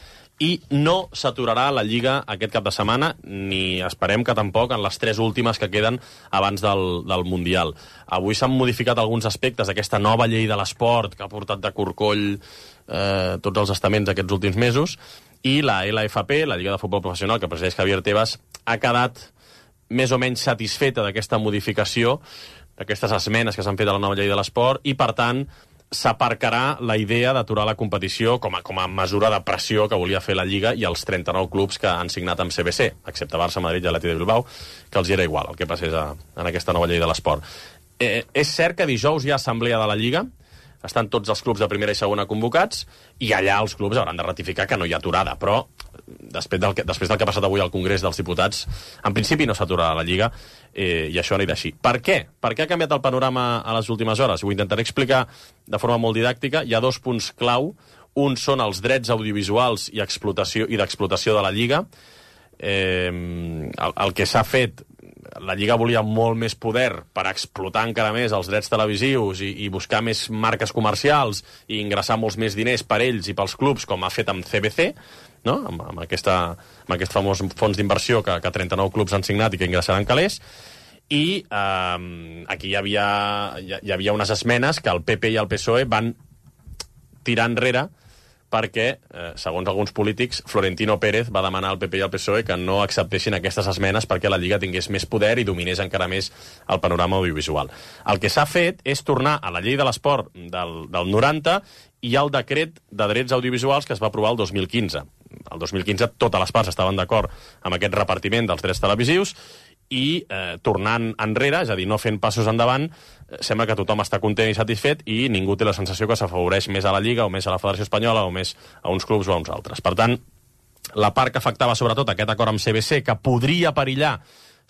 i no s'aturarà la Lliga aquest cap de setmana, ni esperem que tampoc en les tres últimes que queden abans del, del Mundial. Avui s'han modificat alguns aspectes d'aquesta nova llei de l'esport que ha portat de corcoll eh, tots els estaments aquests últims mesos, i la L F P, la Lliga de Futbol Professional, que presideix Javier Tebas, ha quedat més o menys satisfeta d'aquesta modificació, d'aquestes esmenes que s'han fet a la nova llei de l'esport, i per tant s'aparcarà la idea d'aturar la competició com a, com a mesura de pressió que volia fer la Lliga i els trenta-nou clubs que han signat amb C B C, excepte Barça, Madrid i Atlètic de Bilbao, que els hi era igual el que passés a, en aquesta nova llei de l'esport. Eh, és cert que dijous hi ha assemblea de la Lliga, estan tots els clubs de primera i segona convocats, i allà els clubs hauran de ratificar que no hi ha aturada, però després del que, després del que ha passat avui al Congrés dels Diputats, en principi no s'aturarà la Lliga, eh, i això anirà així. Per què? Per què ha canviat el panorama a les últimes hores? Ho intentaré explicar de forma molt didàctica. Hi ha dos punts clau. Un són els drets audiovisuals i explotació i d'explotació de la Lliga. Eh, el, el que s'ha fet la Lliga volia molt més poder per explotar encara més els drets televisius i, i buscar més marques comercials i ingressar molts més diners per ells i pels clubs, com ha fet amb C B C, no? amb, amb, aquesta, amb aquest famós fons d'inversió que, que trenta-nou clubs han signat i que ingressaran calés. I eh, aquí hi havia, hi havia unes esmenes que el P P i el P S O E van tirar enrere perquè, eh, segons alguns polítics, Florentino Pérez va demanar al P P i al P S O E que no acceptessin aquestes esmenes perquè la Lliga tingués més poder i dominés encara més el panorama audiovisual. El que s'ha fet és tornar a la llei de l'esport del, del noranta i al decret de drets audiovisuals que es va aprovar el dos mil quinze. El dos mil quinze totes les parts estaven d'acord amb aquest repartiment dels drets televisius i eh, tornant enrere, és a dir, no fent passos endavant, eh, sembla que tothom està content i satisfet i ningú té la sensació que s'afavoreix més a la Lliga o més a la Federació Espanyola o més a uns clubs o a uns altres. Per tant, la part que afectava sobretot aquest acord amb C B C, que podria perillar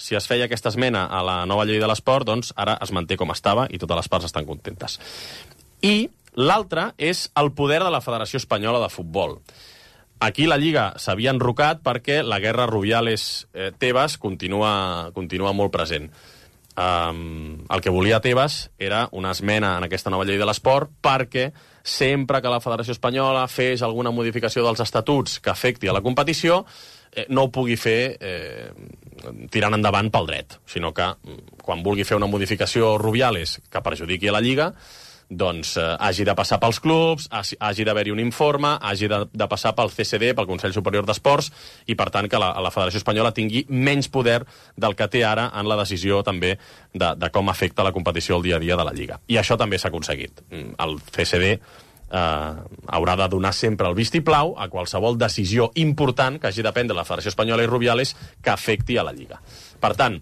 si es feia aquesta esmena a la nova llei de l'esport, doncs ara es manté com estava i totes les parts estan contentes. I l'altre és el poder de la Federació Espanyola de Futbol. Aquí la Lliga s'havia enrocat perquè la guerra Rubiales-Tebas eh, continua, continua molt present. Um, el que volia Tebas era una esmena en aquesta nova llei de l'esport perquè sempre que la Federació Espanyola fes alguna modificació dels estatuts que afecti a la competició, eh, no ho pugui fer eh, tirant endavant pel dret, sinó que quan vulgui fer una modificació Rubiales que perjudiqui a la Lliga, doncs eh, hagi de passar pels clubs, hagi d'haver-hi un informe, hagi de, de passar pel C C D, pel Consell Superior d'Esports, i per tant que la, la Federació Espanyola tingui menys poder del que té ara en la decisió també de, de com afecta la competició el dia a dia de la Lliga. I això també s'ha aconseguit. El C C D eh, haurà de donar sempre el vistiplau a qualsevol decisió important que hagi de prendre la Federació Espanyola i Rubiales que afecti a la Lliga. Per tant,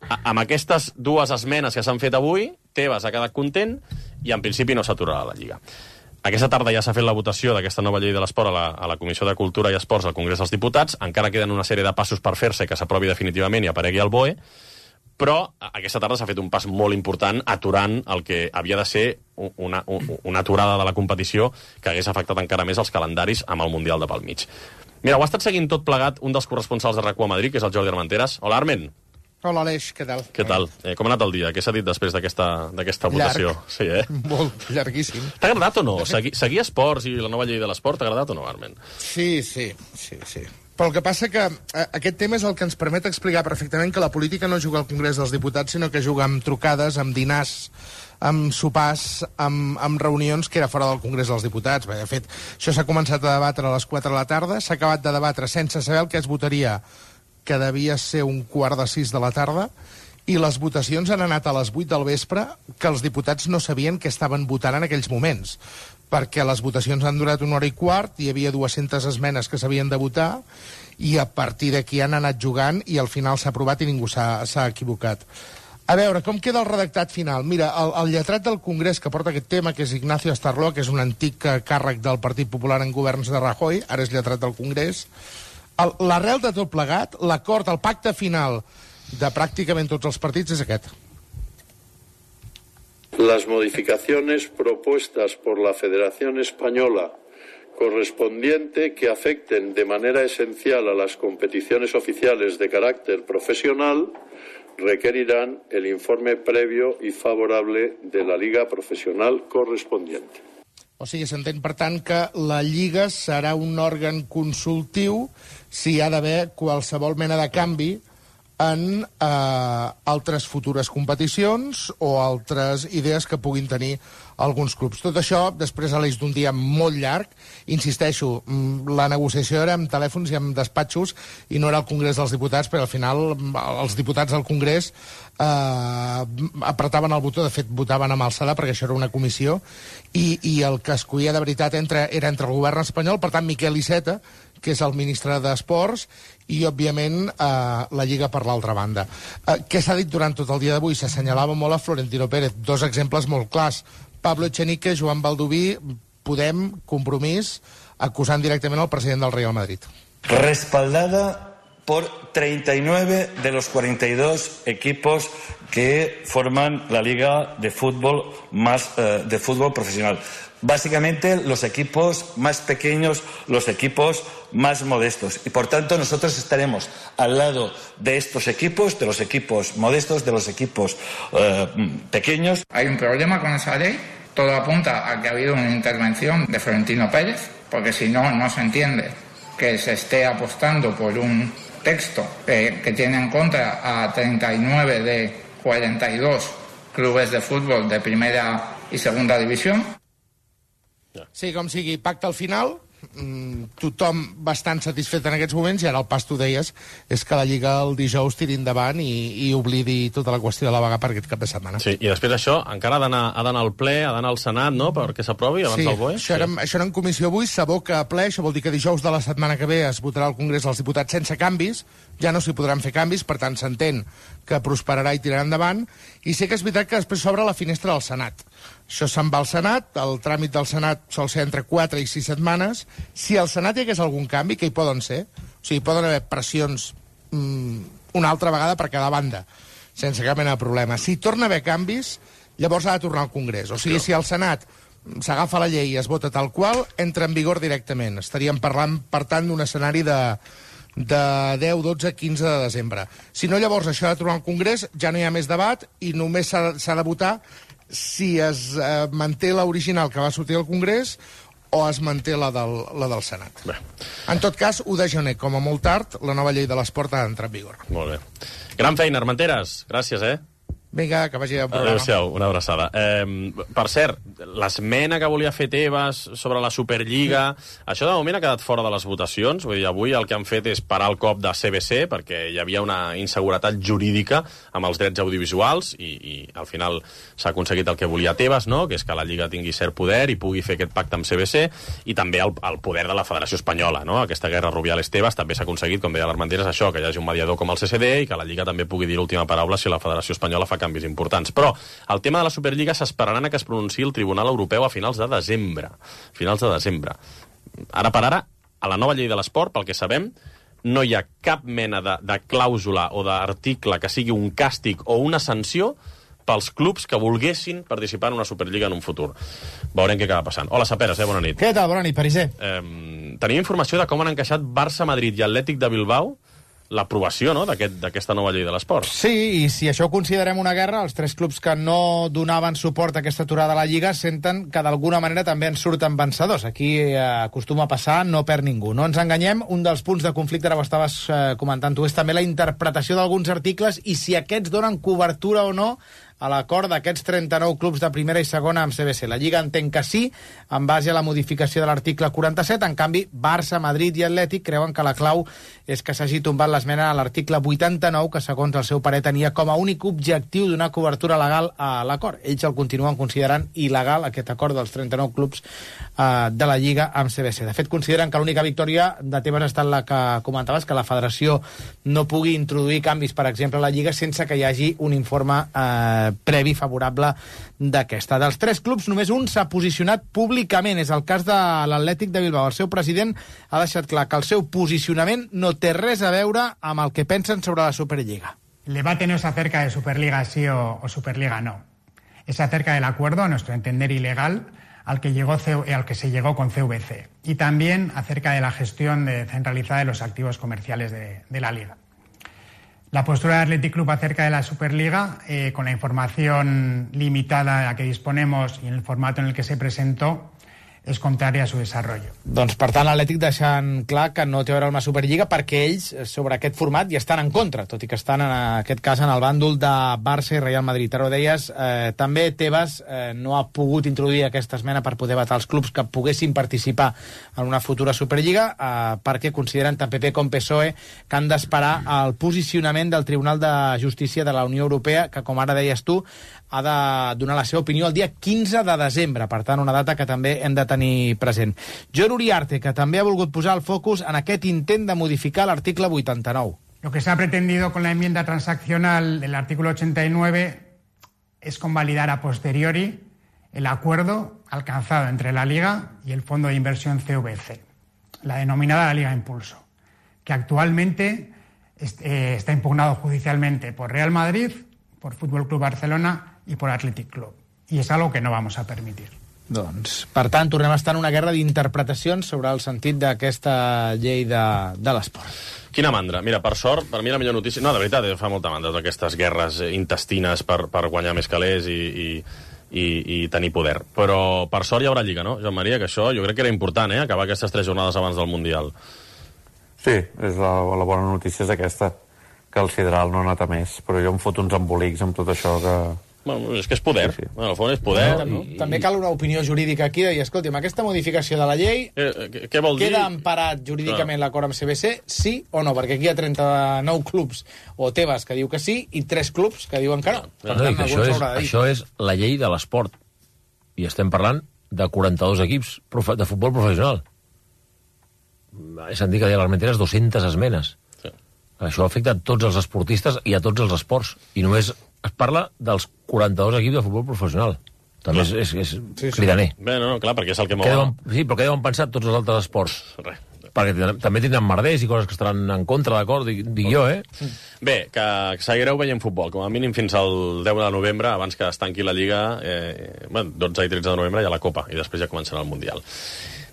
amb aquestes dues esmenes que s'han fet avui, Tebas ha quedat content i en principi no s'aturarà la Lliga. Aquesta tarda ja s'ha fet la votació d'aquesta nova llei de l'esport a, la, a la Comissió de Cultura i Esports al Congrés dels Diputats. Encara queden una sèrie de passos per fer-se que s'aprovi definitivament i aparegui al B O E, però aquesta tarda s'ha fet un pas molt important aturant el que havia de ser una, una, una aturada de la competició que hagués afectat encara més els calendaris amb el Mundial de pel mig. Mira, ho ha estat seguint tot plegat un dels corresponsals de RAC u a Madrid, que és el Jordi Armenteres. Hola, Armen. Hola, Aleix, què tal? Què tal? Eh, com ha anat el dia? Què s'ha dit després d'aquesta votació? Llarg. Sí, eh? Molt llarguíssim. T'ha agradat o no? Seguir, seguir esports i la nova llei de l'esport, t'ha agradat o no, Armen? Sí, sí, sí, sí. Però el que passa que eh, aquest tema és el que ens permet explicar perfectament que la política no juga al Congrés dels Diputats, sinó que juga amb trucades, amb dinars, amb sopars, amb, amb reunions que era fora del Congrés dels Diputats. Bé, de fet, això s'ha començat a debatre a les quatre de la tarda, s'ha acabat de debatre sense saber el que es votaria, que devia ser un quart de sis de la tarda, i les votacions han anat a les vuit del vespre, que els diputats no sabien què estaven votant en aquells moments, perquè les votacions han durat una hora i quart, hi havia dues-centes esmenes que s'havien de votar, i a partir d'aquí han anat jugant, i al final s'ha aprovat i ningú s'ha equivocat. A veure, com queda el redactat final? Mira, el, el lletrat del Congrés que porta aquest tema, que és Ignacio Astarloa, que és un antic càrrec del Partit Popular en governs de Rajoy, ara és lletrat del Congrés. L'arrel de tot plegat, l'acord, el pacte final de pràcticament tots els partits és aquest. Las modificaciones propuestas por la Federación Española correspondiente que afecten de manera esencial a las competiciones oficiales de carácter profesional requerirán el informe previo y favorable de la Liga Profesional correspondiente. O sigui, s'entén, per tant, que la Lliga serà un òrgan consultiu si hi ha d'haver qualsevol mena de canvi en eh, altres futures competicions o altres idees que puguin tenir alguns clubs. Tot això, després a l'eix d'un dia molt llarg, insisteixo, la negociació era amb telèfons i amb despatxos i no era al Congrés dels Diputats, però al final els diputats del Congrés eh, apretaven el botó, de fet votaven amb alçada perquè això era una comissió, i, i el que escollia de veritat entre, era entre el govern espanyol, per tant Miquel Iceta, que és el ministre d'Esports, i, òbviament, eh, la Lliga per l'altra banda. Eh, què s'ha dit durant tot el dia d'avui? S'assenyalava molt a Florentino Pérez. Dos exemples molt clars. Pablo Echenique, Joan Baldoví, Podem, Compromís, acusant directament el president del Real Madrid. Respaldada por treinta y nueve de los cuarenta y dos equipos que forman la liga de fútbol más eh, de fútbol profesional. Básicamente los equipos más pequeños, los equipos más modestos. Y por tanto nosotros estaremos al lado de estos equipos, de los equipos modestos, de los equipos eh, pequeños. Hay un problema con esa ley. Todo apunta a que ha habido una intervención de Florentino Pérez, porque si no, no se entiende que se esté apostando por un texto eh, que tiene en contra a treinta y nueve de cuarenta y dos clubes de fútbol de primera y segunda división. Sí, com sigui, pacte al final, tothom bastant satisfet en aquests moments, i ara el pas, tu deies, és que la Lliga el dijous tiri endavant i, i oblidi tota la qüestió de la vaga per aquest cap de setmana. Sí, i després això encara ha d'anar ha d'anar al ple, ha d'anar al Senat, no?, perquè s'aprovi abans sí, del B O E. Això, sí, era, això era en comissió avui, s'aboca a ple, això vol dir que dijous de la setmana que ve es votarà al Congrés dels Diputats sense canvis, ja no s'hi podran fer canvis, per tant s'entén que prosperarà i tirarà endavant, i sé que és veritat que després s'obre la finestra del Senat. Això se'n va al Senat, el tràmit del Senat sol ser entre quatre i sis setmanes. Si al Senat hi hagués algun canvi, que hi poden ser, o sigui, poden haver pressions mmm, una altra vegada per cada banda, sense cap mena de problema. Si torna a haver canvis, llavors ha de tornar al Congrés. O sigui, si al Senat s'agafa la llei i es vota tal qual, entra en vigor directament. Estaríem parlant, per tant, d'un escenari de, de deu, dotze, quinze de desembre. Si no, llavors això ha de tornar al Congrés, ja no hi ha més debat i només s'ha de votar si es eh, manté l'original que va sortir al Congrés o es manté la del, la del Senat. Bé. En tot cas, u de gener, com a molt tard, la nova llei de l'esport ha d'entrar en vigor. Molt bé. Gran feina, Armenteres. Gràcies, eh? Vinga, que vagi al programa. Adéu-siau, una abraçada. Eh, per cert, l'esmena que volia fer Tebas sobre la Superliga, sí, això de moment ha quedat fora de les votacions. Vull dir, avui el que han fet és parar el cop de C B C perquè hi havia una inseguretat jurídica amb els drets audiovisuals i, i al final s'ha aconseguit el que volia Tebas, no?, que és que la Lliga tingui cert poder i pugui fer aquest pacte amb C B C, i també el, el poder de la Federació Espanyola, no?, aquesta guerra Rubiales-Tebas també s'ha aconseguit, com deia l'Armenteres, això, que hi hagi un mediador com el C C D i que la Lliga també pugui dir l'última paraula si la Federació Espanyola fa canvis importants. Però el tema de la Superliga s'esperaran a que es pronunciï el Tribunal Europeu a finals de desembre. Finals de desembre. Ara per ara, a la nova llei de l'esport, pel que sabem, no hi ha cap mena de, de clàusula o d'article que sigui un càstig o una sanció pels clubs que volguessin participar en una Superliga en un futur. Veurem què acaba passant. Hola, Saperes, eh? Bona nit. Què tal? Bona nit, Pariser. Eh, tenim informació de com han encaixat Barça, Madrid i Atlètic de Bilbao l'aprovació, no?, d'aquesta aquest, nova llei de l'esport. Sí, i si això ho considerem una guerra, els tres clubs que no donaven suport a aquesta aturada a la Lliga senten que d'alguna manera també en surten vencedors. Aquí eh, acostuma a passar, no perd ningú. No ens enganyem, un dels punts de conflicte, ara ho estaves eh, comentant tu, és també la interpretació d'alguns articles i si aquests donen cobertura o no a l'acord d'aquests trenta-nou clubs de primera i segona amb C B C. La Lliga entén que sí, en base a la modificació de l'article quaranta-set. En canvi, Barça, Madrid i Atlètic creuen que la clau és que s'hagi tombat l'esmena a l'article vuitanta-nou, que segons el seu parer tenia com a únic objectiu donar cobertura legal a l'acord. Ells el continuen considerant il·legal, aquest acord dels trenta-nou clubs eh, de la Lliga amb C B C. De fet, consideren que l'única victòria de Tebas ha estat la que comentaves, que la federació no pugui introduir canvis, per exemple, a la Lliga sense que hi hagi un informe eh, previ favorable d'aquesta. Dels tres clubs, només un s'ha posicionat públicament. És el cas de l'Atlètic de Bilbao. El seu president ha deixat clar que el seu posicionament no té res a veure amb el que pensen sobre la Superliga. El debate no es acerca de Superliga sí o, o Superliga no. Es acerca del acuerdo, a nuestro entender ilegal, al que, llegó, al que se llegó con C V C. Y también acerca de la gestión de, centralizada de los activos comerciales de, de la Liga. La postura del Athletic Club acerca de la Superliga, eh, con la información limitada a la que disponemos y en el formato en el que se presentó, és contrària a su desarrollo. Doncs, per tant, l'Atlètic deixant clar que no té a veure amb la Superliga perquè ells, sobre aquest format, hi estan en contra, tot i que estan, en aquest cas, en el bàndol de Barça i Real Madrid. Ara ho deies, eh, també Tebas eh, no ha pogut introduir aquesta esmena per poder vetar els clubs que poguessin participar en una futura Superliga, eh, perquè consideren tant P P com P S O E que han d'esperar el posicionament del Tribunal de Justícia de la Unió Europea, que, com ara deies tu, ha de donar la seva opinió el dia quinze de desembre. Per tant, una data que també hem de tenir present. John Uriarte, que també ha volgut posar el focus en aquest intent de modificar l'article vuitanta-nou. Lo que se ha pretendido con la enmienda transaccional del artículo ochenta y nueve es convalidar a posteriori el acuerdo alcanzado entre la Liga y el Fondo de Inversión C V C, la denominada la Liga Impulso, que actualmente eh, está impugnado judicialmente por Real Madrid, por Fútbol Club Barcelona y por Athletic Club. Y es algo que no vamos a permitir. Doncs, per tant, tornem a estar en una guerra d'interpretacions sobre el sentit d'aquesta llei de, de l'esport. Quina mandra. Mira, per sort, per mi la millor notícia... No, de veritat, fa molta mandra, totes aquestes guerres intestines per, per guanyar més calés i, i, i, i tenir poder. Però per sort hi haurà Lliga, no, Joan Maria? Que això jo crec que era important, eh?, acabar aquestes tres jornades abans del Mundial. Sí, és la, la bona notícia és aquesta, que el Sideral no ha anat a més, però jo em foto uns embolics amb tot això que... Bueno, és que és poder. Sí, sí. Bueno, al fons és poder. No, i, també cal una opinió jurídica aquí de dir, escolti, amb aquesta modificació de la llei eh, què vol dir? Queda emparat jurídicament no. l'acord amb C B C, sí o no? Perquè aquí hi ha trenta-nou clubs o Tebas que diu que sí i tres clubs que diuen que no. no, no tant, això, és, això és la llei de l'esport. I estem parlant de quaranta-dos equips de futbol professional. He sentit que a l'Armentera és dues-centes esmenes. Sí. Això afecta a tots els esportistes i a tots els esports. I només es parla dels quaranta-dos equips de futbol professional. També és, és, és sí, sí. cridaner. Bé, no, no, clar, perquè és el que mou... Deuen, sí, però què deuen pensar tots els altres esports? Res. Perquè també tindran merders i coses que estaran en contra, d'acord? Dic, dic jo, eh? Bé, que seguireu veient futbol, com a mínim fins al deu de novembre, abans que es tanqui la Lliga, eh, bueno, dotze i tretze de novembre hi ha la Copa, i després ja començarà el Mundial.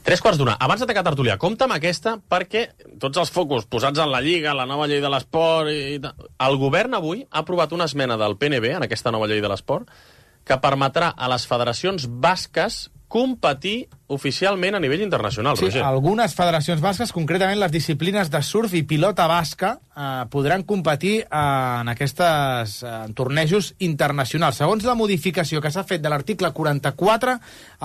Tres quarts d'una. Abans de tancar tertúlia, compta amb aquesta, perquè tots els focus posats en la Lliga, la nova llei de l'esport... I... El govern avui ha aprovat una esmena del P N B en aquesta nova llei de l'esport que permetrà a les federacions basques competir oficialment a nivell internacional, sí, Roger. Algunes federacions basques, concretament les disciplines de surf i pilota basca, eh, podran competir eh, en aquests eh, tornejos internacionals. Segons la modificació que s'ha fet de l'article quaranta-quatre,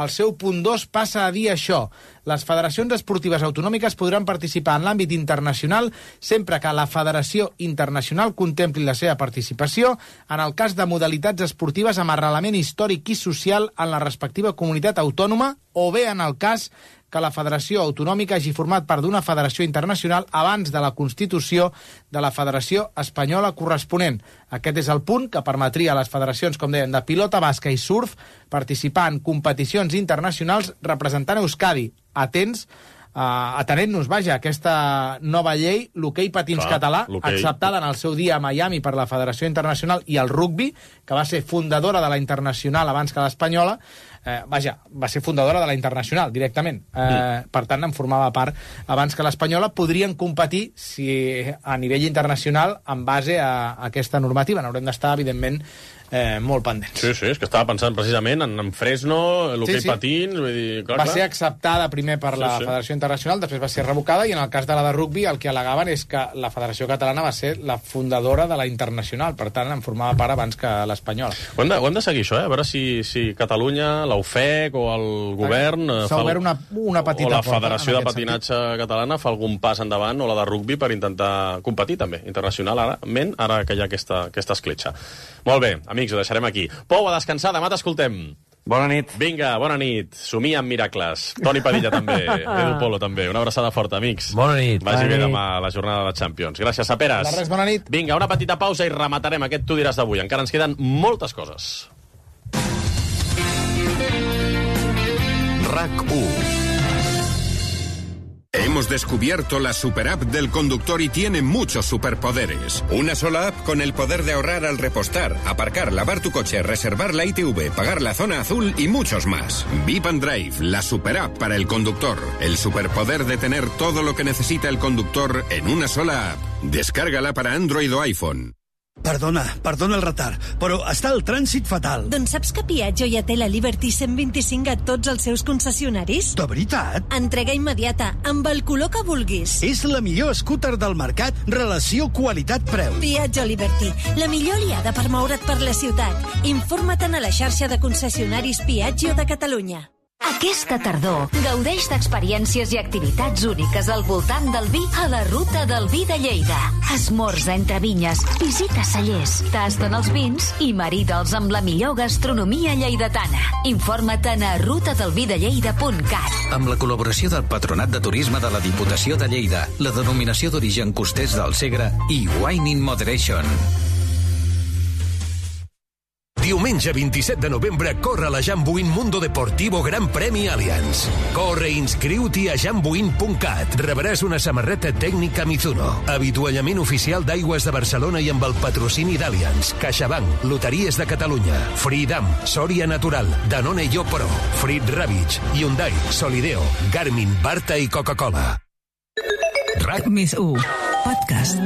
el seu punt dos passa a dir això. Les federacions esportives autonòmiques podran participar en l'àmbit internacional sempre que la federació internacional contempli la seva participació en el cas de modalitats esportives amb arrelament històric i social en la respectiva comunitat autònoma o bé en el cas que la federació autonòmica hagi format part d'una federació internacional abans de la constitució de la federació espanyola corresponent. Aquest és el punt que permetria a les federacions, com deien, de pilota basca i surf participar en competicions internacionals representant Euskadi. Atents, uh, atenent-nos, vaja, aquesta nova llei, l'hoquei patins Clar, català, acceptada en el seu dia a Miami per la Federació Internacional, i el rugbi, que va ser fundadora de la Internacional abans que l'espanyola, Eh, vaja, va ser fundadora de la Internacional, directament. Eh, mm. Per tant, en formava part abans que l'espanyola. Podrien competir si a nivell internacional en base a, a aquesta normativa. N'haurem d'estar, evidentment, eh, molt pendents. Sí, sí, és que estava pensant precisament en, en Fresno, l'hoquei sí, sí. patins... Vull dir, clar, va clar. ser acceptada primer per sí, la sí. Federació Internacional, després va ser revocada, i en el cas de la de rugbi el que al·legaven és que la Federació Catalana va ser la fundadora de la Internacional, per tant, en formava part abans que l'espanyola. Ho hem de, ho hem de seguir, això, eh? A veure si, si Catalunya, la U F E C o el govern... S'ha obert una, una petita o la Federació de Patinatge sentit. Catalana fa algun pas endavant, o la de rugbi, per intentar competir també internacionalment, ara que hi ha aquesta, aquesta escletxa. Molt bé, amics, ho deixarem aquí. Pou, a descansar, demà t'escoltem. Bona nit. Vinga, bona nit. Somia amb miracles. Toni Padilla també, Edu Polo també. Una abraçada forta, amics. Bona nit. Vagi bona bé nit. demà la jornada de Champions. Gràcies, Saperes. De res, bona nit. Vinga, una petita pausa i rematarem aquest Tu diràs d'avui. Encara ens queden moltes coses. RAC u. Hemos descubierto la superapp del conductor y tiene muchos superpoderes. Una sola app con el poder de ahorrar al repostar, aparcar, lavar tu coche, reservar la I T V, pagar la zona azul y muchos más. Vip and Drive, la superapp para el conductor. El superpoder de tener todo lo que necesita el conductor en una sola app. Descárgala para Android o iPhone. Perdona, perdona el retard, però està el trànsit fatal. Doncs saps que Piaggio ja té la Liberty cent vint-i-cinc a tots els seus concessionaris? De veritat? Entrega immediata, amb el color que vulguis. És la millor scooter del mercat, relació qualitat-preu. Piaggio Liberty, la millor aliada per moure't per la ciutat. Informa't a la xarxa de concessionaris Piaggio de Catalunya. Aquesta tardor, gaudeix d'experiències i activitats úniques al voltant del vi a la Ruta del Vi de Lleida. Esmorza entre vinyes, visita cellers, tasten els vins i marida'ls amb la millor gastronomia lleidatana. Informa't a ruta del vi de lleida punt cat. Amb la col·laboració del Patronat de Turisme de la Diputació de Lleida, la denominació d'origen costers del Segre i Wine in Moderation. Diumenge vint-i-set de novembre corre la Jambuin Mundo Deportivo Gran Premi Allianz. Corre i inscriu-t'hi a jambuin punt cat. Rebràs una samarreta tècnica Mizuno, avituallament oficial d'Aigües de Barcelona i amb el patrocini d'Allianz, CaixaBank, Loteries de Catalunya, Freedom, Soria Natural, Danone Yo Pro, Frit Ravitch, Hyundai, Solideo, Garmin, Barta i Coca-Cola. RAC més u, podcast.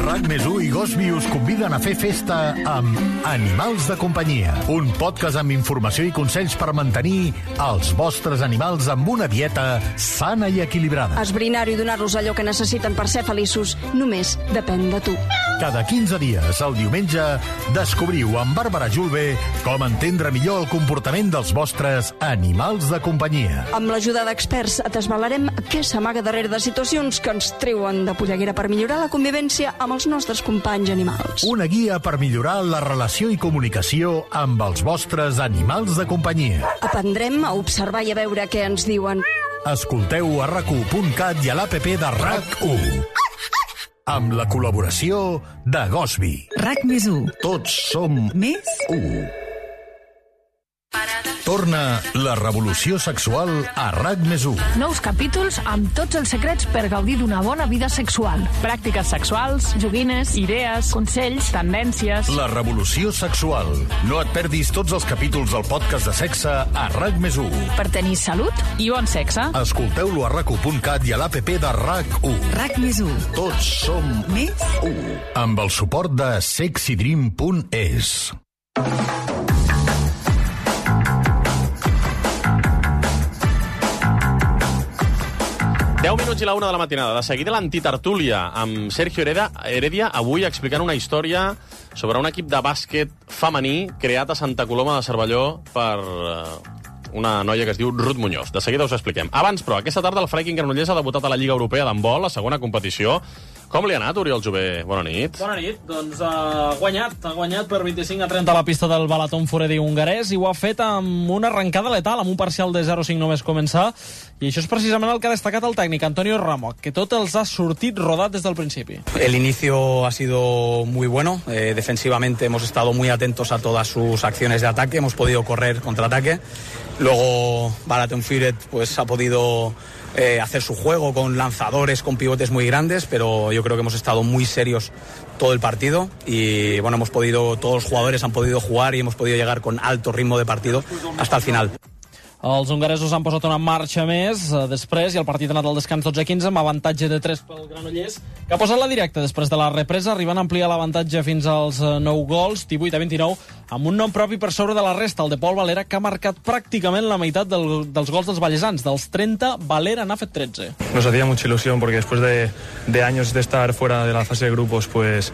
RAC més u i Gosby us conviden a fer festa amb Animals de companyia, un podcast amb informació i consells per mantenir els vostres animals amb una dieta sana i equilibrada. Esbrinar-ho i donar-los allò que necessiten per ser feliços només depèn de tu. Cada quinze dies, el diumenge, descobriu amb Bàrbara Julve com entendre millor el comportament dels vostres animals de companyia. Amb l'ajuda d'experts desvelarem què s'amaga darrere de situacions que ens treuen de polleguera per millorar la convivència amb els nostres companys animals. Una guia per millorar la relació i comunicació amb els vostres animals de companyia. Aprendrem a observar i a veure què ens diuen. Escolteu a rac u punt cat i a l'app de RAC u. Amb la col·laboració de Gosby. RAC més u. Tots som més u. Torna la revolució sexual a RAC més u. Nous capítols amb tots els secrets per gaudir d'una bona vida sexual. Pràctiques sexuals, joguines, idees, consells, tendències... La revolució sexual. No et perdis tots els capítols del podcast de sexe a RAC més u. Per tenir salut i bon sexe. Escolteu-lo a rac u punt cat i a l'app de RAC u. RAC més u. Tots som més u. Amb el suport de sexydream punt es. deu minuts i la una de la matinada. De seguida l'antitertúlia amb Sergio Heredia, Heredia, avui explicant una història sobre un equip de bàsquet femení creat a Santa Coloma de Cervelló per una noia que es diu Ruth Muñoz. De seguida us ho expliquem. Abans, però, aquesta tarda el Flyking Granollers ha debutat a la Lliga Europea d'handbol, la segona competició. Com li ha anat, Oriol Jové? Bona nit. Bona nit. Doncs ha guanyat. Ha guanyat per vint-i-cinc a trenta a la pista del Balaton Foredi hongarès i ho ha fet amb una arrencada letal, amb un parcial de zero cinc només començar. I això és precisament el que ha destacat el tècnic, Antonio Ramo, que tot els ha sortit rodat des del principi. El inicio ha sido muy bueno. Eh, defensivamente hemos estado muy atentos a todas sus acciones de ataque. Hemos podido correr contraataque. Luego Balaton Foredi pues ha podido Eh, hacer su juego con lanzadores, con pivotes muy grandes, pero yo creo que hemos estado muy serios todo el partido y bueno, hemos podido, todos los jugadores han podido jugar y hemos podido llegar con alto ritmo de partido hasta el final. Els hongaresos han posat una marxa més eh, després i el partit ha anat al descans dotze a quinze amb avantatge de tres pel Granollers, que ha posat la directa després de la represa, arribant a ampliar l'avantatge fins als eh, nou gols, divuit a vint-i-nou, amb un nom propi per sobre de la resta, el de Pol Valera, que ha marcat pràcticament la meitat del, dels gols dels vallesans. Dels trenta, Valera n'ha fet tretze. Nos hacía mucha ilusión porque después de, de años de estar fuera de la fase de grupos, pues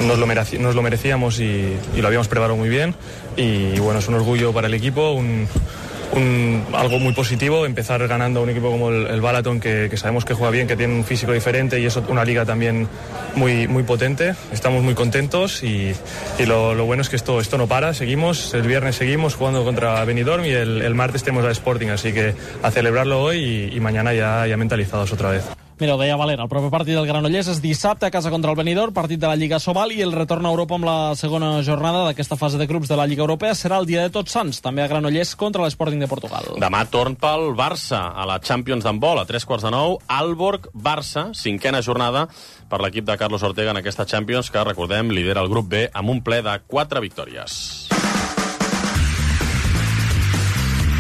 nos lo, mereci, nos lo merecíamos y, y lo habíamos preparado muy bien. Y bueno, es un orgullo para el equipo, un... Un, algo muy positivo, empezar ganando a un equipo como el, el Balaton, que, que sabemos que juega bien, que tiene un físico diferente y es una liga también muy, muy potente. Estamos muy contentos y, y lo, lo bueno es que esto, esto no para, seguimos, el viernes seguimos jugando contra Benidorm y el, el martes tenemos al Sporting, así que a celebrarlo hoy y, y mañana ya, ya mentalizados otra vez. Mira, ho deia Valera, el proper partit del Granollers és dissabte a casa contra el Benidorm, partit de la Lliga Sobal, i el retorn a Europa amb la segona jornada d'aquesta fase de grups de la Lliga Europea serà el dia de Tots Sants, també a Granollers contra l'Sporting de Portugal. Demà torn pel Barça a la Champions d'handbol, a tres quarts de nou, Aalborg-Barça, cinquena jornada per l'equip de Carlos Ortega en aquesta Champions, que, recordem, lidera el grup B amb un ple de quatre victòries.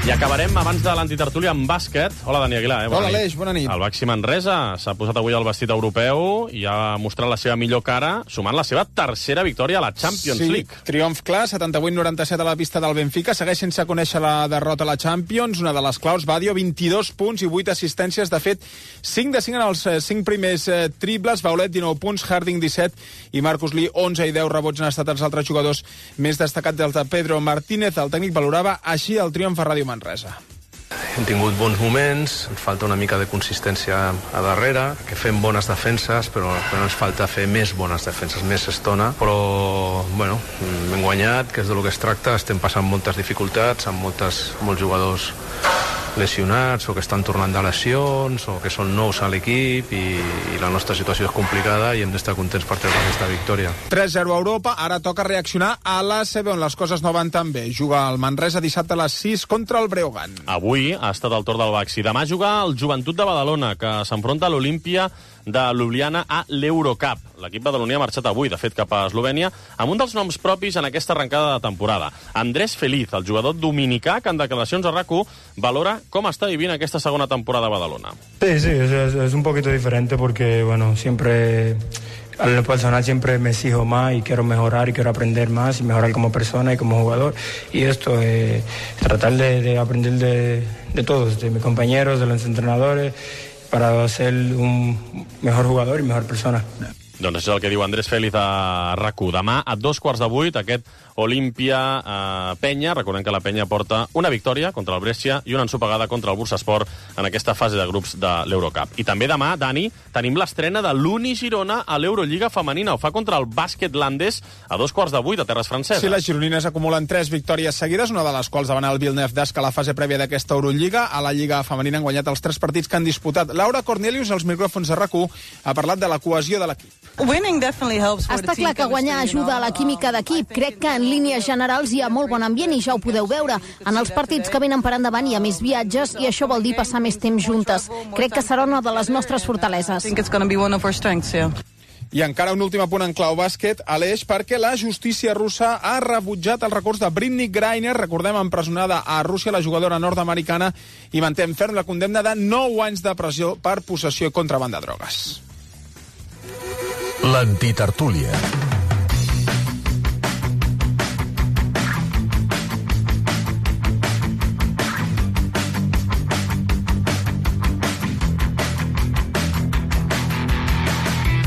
I acabarem abans de l'antitertúlia amb bàsquet. Hola, Dani Aguilar. Eh? Hola, Aleix, bona nit. El Baxi Manresa s'ha posat avui el vestit europeu i ha mostrat la seva millor cara, sumant la seva tercera victòria a la Champions sí, League. Triomf clar, setanta-vuit noranta-set a la pista del Benfica. Segueix sense conèixer la derrota a la Champions. Una de les claus, Badio, vint-i-dos punts i vuit assistències. De fet, cinc de cinc en els cinc primers eh, triples. Baulet, dinou punts, Harding, disset, i Marcus Lee, onze i deu rebots han estat els altres jugadors més destacats dels de Pedro Martínez. El tècnic valorava així el triomf a Ràdio Manresa. Hem tingut bons moments, ens falta una mica de consistència a darrere, que fem bones defenses, però, però ens falta fer més bones defenses, més estona. Però, bueno, hem guanyat, que és del que es tracta, estem passant moltes dificultats, amb moltes, molts jugadors lesionats o que estan tornant de lesions o que són nous a l'equip i, i la nostra situació és complicada i hem d'estar contents per treure aquesta victòria. tres zero a Europa, ara toca reaccionar a l'A C B on les coses no van tan bé. Juga el Manresa dissabte a les sis contra el Breogán. Avui ha estat el torn del Baxi. Demà juga el Joventut de Badalona, que s'enfronta a l'Olímpia de Ljubljana a l'Eurocup. L'equip badaloní ha marxat avui, de fet, cap a Eslovènia, amb un dels noms propis en aquesta arrencada de temporada. Andrés Feliz, el jugador dominicà, que en declaracions a RAC u valora com està vivint aquesta segona temporada a Badalona. Sí, sí, es, es un poquito diferente porque, bueno, siempre... A lo personal siempre me exijo más y quiero mejorar y quiero aprender más y mejorar como persona y como jugador. Y esto, eh, tratar de, de aprender de, de todos, de mis compañeros, de los entrenadores, para ser un mejor jugador y mejor persona. Doncs això és el que diu Andrés Félix a RAC u. Demà, a dos quarts de vuit, aquest Olímpia-Penya. Eh, Recordem que la Penya porta una victòria contra el Brescia i una ensopegada contra el Bursaspor en aquesta fase de grups de l'Eurocup. I també demà, Dani, tenim l'estrena de l'Uni Girona a l'Eurolliga femenina. Ho fa contra el bàsquet landès a dos quarts de vuit a terres franceses. Sí, les gironines acumulen tres victòries seguides, una de les quals davant el Villeneuve d'Ascq a la fase prèvia d'aquesta Eurolliga. A la Lliga femenina han guanyat els tres partits que han disputat. Laura Cornelius, als micròfons de RAC u, ha parlat de la cohesió de l'equip. Està clar que guanyar ajuda a la química d'equip. Crec que en línies generals hi ha molt bon ambient i ja ho podeu veure. En els partits que venen per endavant hi ha més viatges i això vol dir passar més temps juntes. Crec que serà una de les nostres fortaleses. I encara un últim apunt en clau bàsquet, Aleix, perquè la justícia russa ha rebutjat el recurs de Brittney Griner, recordem, empresonada a Rússia, la jugadora nord-americana, i manté en ferm la condemna de nou anys de presó per possessió i contraban de drogues. L'antitertúlia.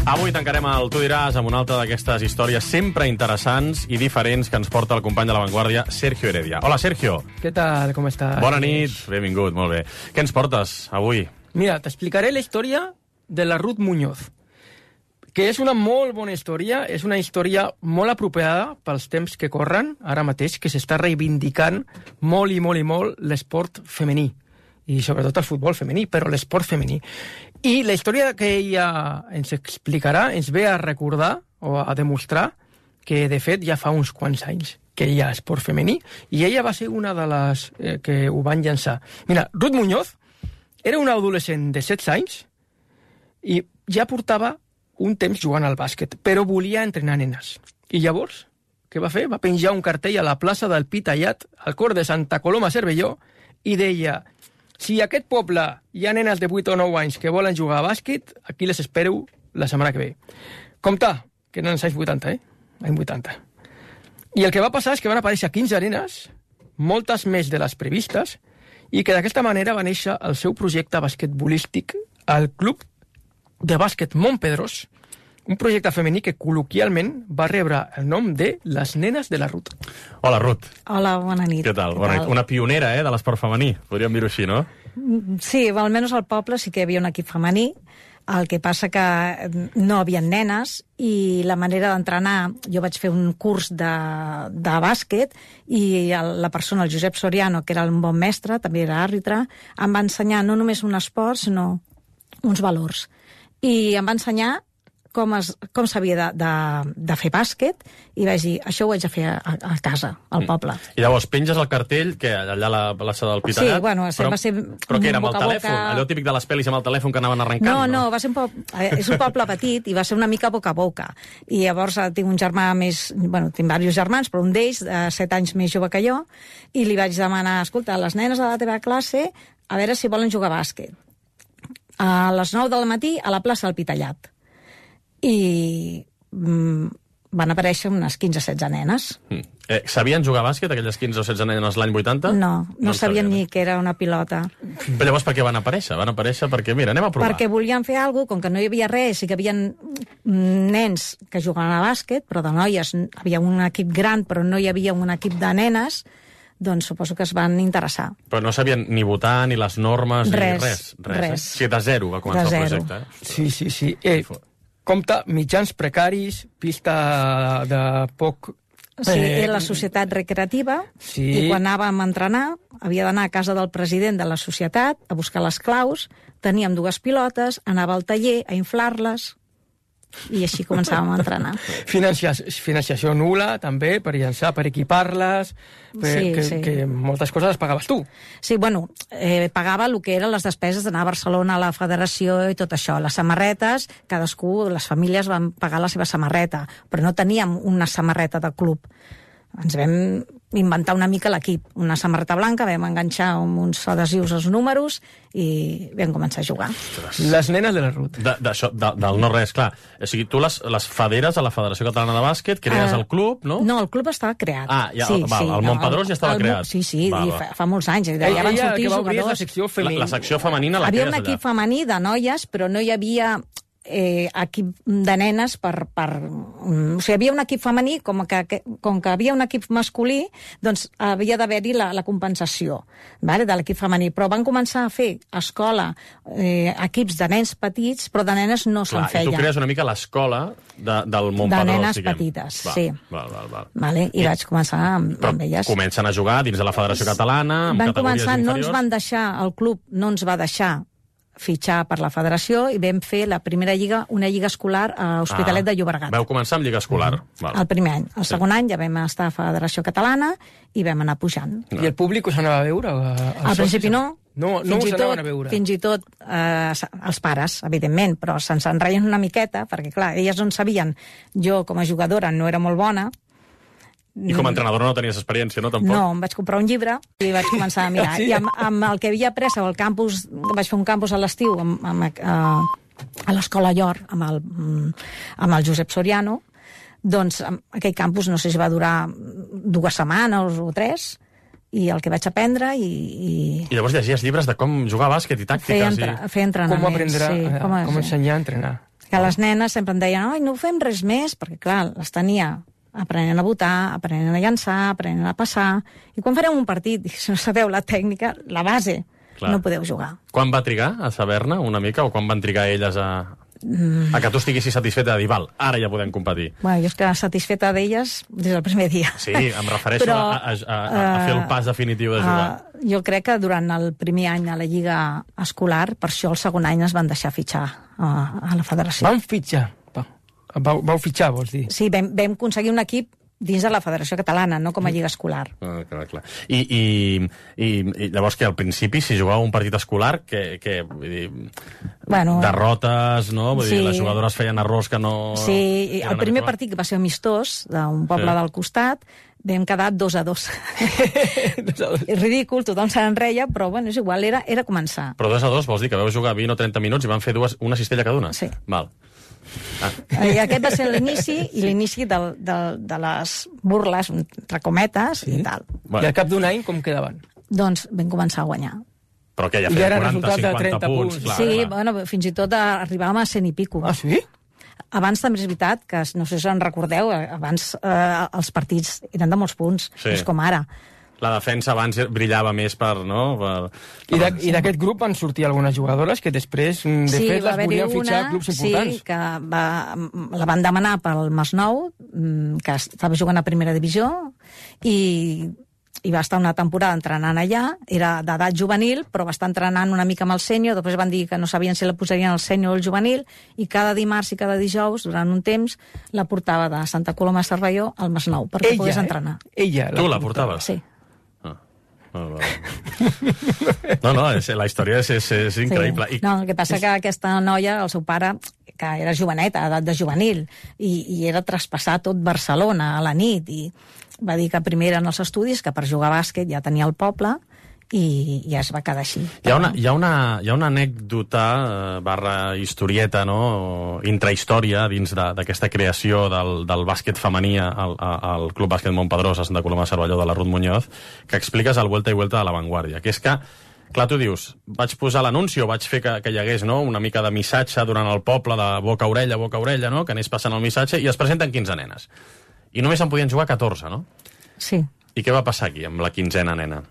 Avui tancarem el Tu diràs amb una altra d'aquestes històries sempre interessants i diferents que ens porta el company de La Vanguardia, Sergio Heredia. Hola, Sergio. ¿Qué tal? ¿Cómo estás? Bona nit, benvingut, molt bé. Què ens portes avui? Mira, t'explicaré la història de la Ruth Muñoz, que és una molt bona història, és una història molt apropiada pels temps que corren, ara mateix, que s'està reivindicant molt i molt i molt l'esport femení, i sobretot el futbol femení, però l'esport femení. I la història que ella ens explicarà ens ve a recordar o a demostrar que, de fet, ja fa uns quants anys que hi ha esport femení, i ella va ser una de les eh, que ho van llançar. Mira, Ruth Muñoz era una adolescent de setze anys i ja portava un temps jugant al bàsquet, però volia entrenar nenes. I llavors, què va fer? Va penjar un cartell a la plaça del Pi Tallat, al cor de Santa Coloma Cervelló, i deia: si a aquest poble hi ha nenes de vuit o nou anys que volen jugar a bàsquet, aquí les espero la setmana que ve. Compte, que eren els anys vuitanta, eh? Anys vuitanta. I el que va passar és que van aparèixer quinze nenes, moltes més de les previstes, i que d'aquesta manera va néixer el seu projecte basquetbolístic al Club de Bàsquet Montpedrós, un projecte femení que col·loquialment va rebre el nom de Les Nenes de la Ruth. Hola, Ruth. Hola, bona nit. Què tal? Bona nit. Una pionera, eh, de l'esport femení, podríem dir-ho així, no? Sí, almenys al poble sí que hi havia un equip femení, el que passa que no hi havia nenes i la manera d'entrenar, jo vaig fer un curs de, de bàsquet i el, la persona, el Josep Soriano, que era un bon mestre, també era àrbitre, em va ensenyar no només un esport, sinó uns valors. I em va ensenyar com, es, com s'havia de, de, de fer bàsquet i vaig dir, això ho haig de fer a, a casa, al poble. I llavors penges el cartell, que allà a la plaça del Pi Tallat... Sí, bueno, però, va ser... Però què era, amb el telèfon? Allò típic de les pel·lis amb el telèfon que anaven arrencant? No, no, va ser un poble, és un poble petit i va ser una mica boca a boca. I llavors tinc un germà més... Bueno, tinc diversos germans, però un d'ells, de set anys més jove que jo, i li vaig demanar, escolta, les nenes de la teva classe, a veure si volen jugar a bàsquet. A les nou del matí a la plaça del Pi Tallat. I mm, van aparèixer unes quinze o setze nenes. Mm. Eh, sabien jugar a bàsquet, aquelles quinze o setze nenes l'any vuitanta? No, no, no sabien ni que era una pilota. Però llavors per què van aparèixer? Van aparèixer perquè, mira, anem a provar. Perquè volien fer alguna cosa, com que no hi havia res, i que hi havia nens que jugaven a bàsquet, però de noies hi havia un equip gran, però no hi havia un equip de nenes, doncs suposo que es van interessar. Però no sabien ni votar, ni les normes, res, ni res. Res, res. Eh? O sigui, de zero va començar el projecte. Eh? Sí, sí, sí. Eh, compte, mitjans precaris, pista de poc Sí, era la societat recreativa, sí. I quan anàvem a entrenar havia d'anar a casa del president de la societat a buscar les claus, teníem dues pilotes, anava al taller a inflar-les i així començàvem a entrenar. Financiació, financiació nul·la, també, per llançar, per equipar-les, per, sí, que, sí. que moltes coses les pagaves tu. Sí, bueno, eh, pagava el que eren les despeses d'anar a Barcelona a la federació i tot això. Les samarretes, cadascú, les famílies van pagar la seva samarreta, però no teníem una samarreta de club. Ens vam inventar una mica l'equip. Una samarreta blanca, vam enganxar amb uns adhesius als números i vam començar a jugar. Les nenes de la Ruth. De, de, això, de, del no res, clar. O sigui, tu les, les federes a la Federació Catalana de Bàsquet, crees uh, el club, no? No, el club estava creat. Ah, ja, sí, val, sí, el Montpedrós no, ja estava el, creat. Sí, sí, val, fa, val. fa molts anys. Ja Ella, van sortir que va obrir jugadors. la secció femenina. La, la secció femenina la Havia crees un allà. equip femení de noies, però no hi havia eh, equip de nenes per, per... O sigui, havia un equip femení, com que, que, com que havia un equip masculí, doncs havia d'haver-hi la, la compensació, vale, de l'equip femení. Però van començar a fer a escola eh, equips de nens petits, però de nenes no se'n feia. I tu crees una mica l'escola de, del Montpedrós, de nenes diguem. petites, val, sí. Val, val, val. Vale, I, I vaig començar amb, amb elles. Comencen a jugar dins de la Federació Catalana, amb van categories començar, inferiors. no ens van deixar, el club no ens va deixar fitxar per la federació i vam fer la primera lliga, una lliga escolar a Hospitalet ah, de Llobregat. Vau començar amb lliga escolar. Mm. Val. El primer any. El sí. segon any ja vam estar a Federació Catalana i vam anar pujant. No. I el públic us anava a veure? Al principi no. No, no us anaven a veure. Fins i tot eh, els pares, evidentment, però se'ns enreien una miqueta, perquè clar, elles no en sabien. Jo, com a jugadora, no era molt bona. I com a entrenadora no tenies experiència, no? Tampoc? No, em vaig comprar un llibre i vaig començar a mirar. Sí? I amb, amb el que havia après al campus, vaig fer un campus a l'estiu amb, amb, a, a l'Escola Llor, amb el, amb el Josep Soriano, doncs aquell campus no sé si va durar dues setmanes o tres, i el que vaig aprendre i... I, I llavors llegies llibres de com jugar a bàsquet i tàctiques. Fer, entra, i... fer entrenaments. Com aprendre, sí, a, com, com ensenyar a entrenar. Que les nenes sempre em deien, oi, no fem res més, perquè clar, les tenia aprenent a votar, aprenent a llançar, aprenent a passar, i quan farem un partit, si no sabeu la tècnica, la base, clar, no podeu jugar. Quan va trigar a saber-ne una mica, o quan van trigar elles a, mm. a que tu estiguessis satisfeta de dir, val, ara ja podem competir? Bueno, jo estic satisfeta d'elles des del primer dia. Sí, em refereixo Però, a, a, a, a fer el pas definitiu de jugar. Uh, jo crec que durant el primer any a la lliga escolar, per això el segon any es van deixar fitxar a, a la federació. Van fitxar? Vau, vau fitxar, vols dir? Sí, vam, vam aconseguir un equip dins de la Federació Catalana, no com a lliga escolar. Ah, clar, clar. I, i, i, i llavors que al principi, si jugava un partit escolar, que, que vull dir, bueno, derrotes, no? Vull sí. dir, les jugadores feien errors que no... Sí, el primer habituals. Partit que va ser amistós, d'un poble sí. del costat, vam quedar dos a dos. És ridícul, tothom se n'enreia, però bueno, és igual, era, era començar. Però dos a dos vols dir que vau jugar vint o trenta minuts i van fer dues, una cistella cada una? Sí. Val. Ah. I aquest va ser l'inici i l'inici de, de, de les burles, entre cometes, sí? I tal. Bueno. I al cap d'un any com quedaven? Doncs vam començar a guanyar. Però que ja feia quaranta cinquanta punts. Clar, sí, clar. Bueno, fins i tot arribàvem a cent i pico. Ah, sí? Abans també és veritat, que no sé si en recordeu, abans eh, els partits eren de molts punts, sí. És com ara. La defensa abans brillava més per... No? Per, per... I d'aquest grup van sortir algunes jugadores que després, de sí, fet, les volien fitxar a clubs importants. Sí, que va, la van demanar pel Masnou, que estava jugant a primera divisió, i, i va estar una temporada entrenant allà, era d'edat juvenil, però va estar entrenant una mica amb el sènior, després van dir que no sabien si la posarien al sènior o al juvenil, i cada dimarts i cada dijous, durant un temps, la portava de Santa Coloma de Cervelló al Masnou, perquè ella, pogués entrenar. Eh? Ella la tu la portaves? Sí. No, no, és, la història és, és, és increïble. Sí. No, el que passa és... que aquesta noia, el seu pare, que era joveneta, edat de juvenil, i, i era traspassar tot Barcelona a la nit, i va dir que primer eren els estudis, que per jugar a bàsquet ja tenia el poble, i ja es va quedar així. Hi ha una, hi ha una, hi ha una anècdota eh, barra historieta, no? Intrahistòria dins d'aquesta creació del, del bàsquet femení al, al Club Bàsquet Montpedrós a Santa Coloma de Cervelló de la Ruth Muñoz, que expliques al Vuelta i Vuelta de la Vanguardia, que és que, clar, tu dius, vaig posar l'anunci o vaig fer que, que hi hagués, no?, una mica de missatge durant el poble, de boca a orella, boca a orella, no?, que anés passant el missatge, i es presenten quinze nenes. I només en podien jugar catorze, no? Sí. I què va passar aquí amb la quinzena nena?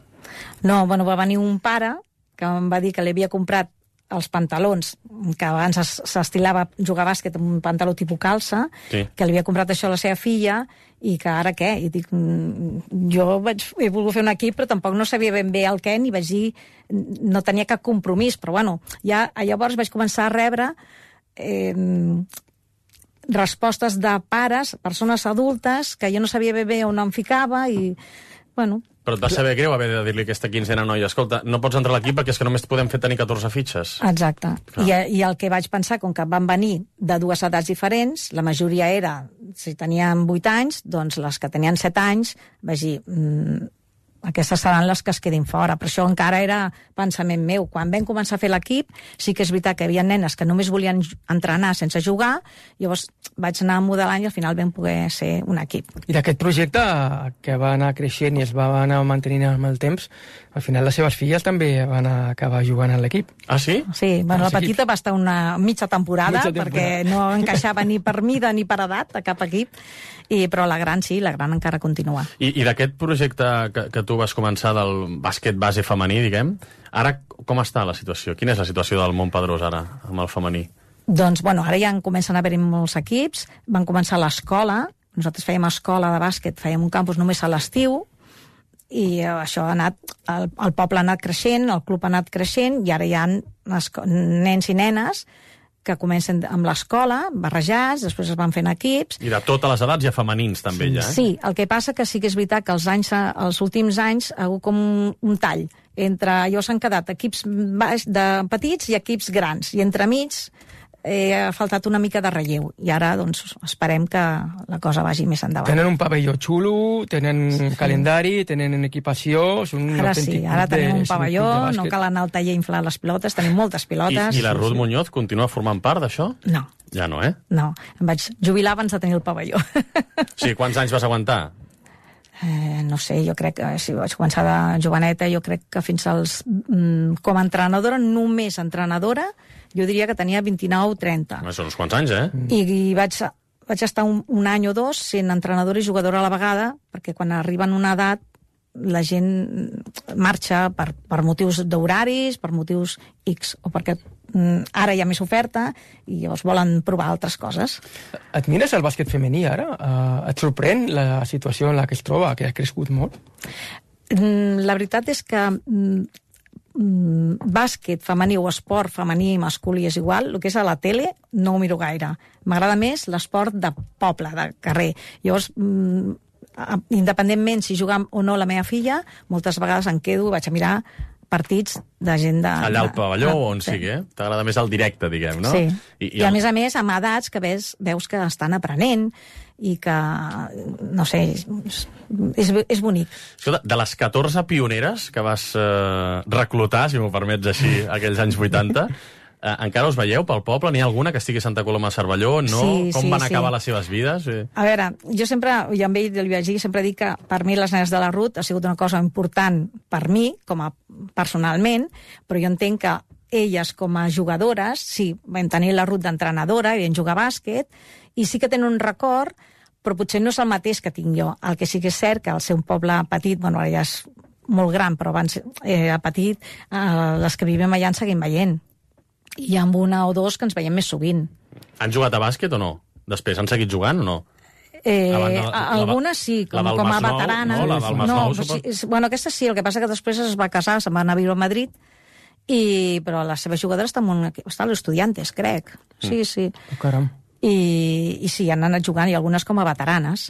No, bueno, va venir un pare que em va dir que li havia comprat els pantalons, que abans s'estilava jugar a bàsquet amb un pantaló tipus calça, sí. que li havia comprat això a la seva filla, i que ara què? I dic, jo vaig, he volgut fer un equip, però tampoc no sabia ben bé el què, ni vaig dir, no tenia cap compromís, però bueno, ja llavors vaig començar a rebre eh, respostes de pares, persones adultes, que jo no sabia ben bé on em ficava, i bueno... Però et va saber greu haver de dir-li a aquesta quinzena noia, escolta, no pots entrar a l'equip perquè és que només podem fer tenir catorze fitxes. Exacte. I, I el que vaig pensar, com que van venir de dues edats diferents, la majoria era, si tenien vuit anys, doncs les que tenien set anys, vaig dir, mmm, aquestes seran les que es quedin fora. Però això encara era pensament meu. Quan vam començar a fer l'equip, sí que és veritat que hi havia nenes que només volien entrenar sense jugar, llavors vaig anar modelant i al final vam poder ser un equip. I d'aquest projecte, que va anar creixent i es va anar mantenint amb el temps, al final les seves filles també van acabar jugant a l'equip. Ah, sí? Sí, bueno, la petita va estar una mitja temporada, mitja temporada, perquè no encaixava ni per mida ni per edat a cap equip, i, però la gran sí, la gran encara continua. I, i d'aquest projecte que, que tu vas començar del bàsquet base femení, diguem, ara com està la situació? Quina és la situació del Montpedrós ara, amb el femení? Doncs, bueno, ara ja en comencen a haver-hi molts equips, van començar a l'escola, nosaltres fèiem escola de bàsquet, fèiem un campus només a l'estiu, i això ha anat, el, el poble ha anat creixent, el club ha anat creixent, i ara hi ha nens i nenes que comencen amb l'escola, barrejats, després es van fent equips... I de totes les edats hi ha femenins, també, sí, ja, eh? Sí, el que passa que sí que és veritat que els, anys, els últims anys ha hagut com un, un tall. Entre, allò s'han quedat equips baix de petits i equips grans, i entremig eh, ha faltat una mica de relleu, i ara doncs esperem que la cosa vagi més endavant. Tenen un pavelló xulo, tenen sí. calendari, tenen equipació... Són ara sí, ara tenim un pavelló, no cal anar al taller a inflar les pilotes, tenim moltes pilotes... I, i la Ruth Muñoz continua formant part d'això? No. Ja no, eh? No, em vaig jubilar abans de tenir el pavelló. Sí, quants anys vas aguantar? Eh, no sé, jo crec que si vaig començar de joveneta, jo crec que fins als... Mm, com a entrenadora, només entrenadora, jo diria que tenia vint-i-nou o trenta. Són uns quants anys, eh? I, i vaig, vaig estar un, un any o dos sent entrenadora i jugadora a la vegada, perquè quan arriben a una edat la gent marxa per, per motius d'horaris, per motius X, o perquè mm, ara hi ha més oferta i llavors volen provar altres coses. Et mires el bàsquet femení ara? Uh, et sorprèn la situació en la que es troba, que ha crescut molt? Mm, la veritat és que mm, mm, bàsquet femení o esport femení i masculí és igual, el que és a la tele no ho miro gaire. M'agrada més l'esport de poble, de carrer. Llavors, mm, independentment si juga o no la meva filla, moltes vegades em quedo, vaig a mirar partits de gent de... Allà al pavelló de, o on sí. sigui, eh? T'agrada més el directe, diguem, no? Sí. I, i, I a el... més a més, amb edats que veus, veus que estan aprenent i que, no sé, és, és bonic. Escolta, de les catorze pioneres que vas eh, reclutar, si m'ho permets així, aquells anys vuitanta... Eh, encara us veieu pel poble? N'hi ha alguna que estigui a Santa Coloma de Cervelló? No? Sí, Com sí, van sí. acabar les seves vides? A veure, jo sempre, i amb ell li vaig dir, sempre dic que per mi les nenes de la Ruth ha sigut una cosa important per mi, com a personalment, però jo entenc que elles com a jugadores, sí, vam tenir la Ruth d'entrenadora i vam jugar a bàsquet, i sí que tenen un record, però potser no és el mateix que tinc jo. El que sí que és cert que al ser un poble petit, bueno, ara ja és molt gran, però abans era petit, eh, les que vivim allà en seguim veient. I amb una o dos que ens veiem més sovint. Han jugat a bàsquet o no? Després han seguit jugant o no? Eh, la, la, algunes sí, com, com a veteranes. No, la del Masnou, no, sí, bueno, aquesta sí, el que passa que després es va casar, se'n va anar a viure a Madrid, i, però les seves jugadores estan, molt, estan els estudiantes, crec. Sí, mm. sí. Oh, caram. I, I sí, han anat jugant, i algunes com a veteranes.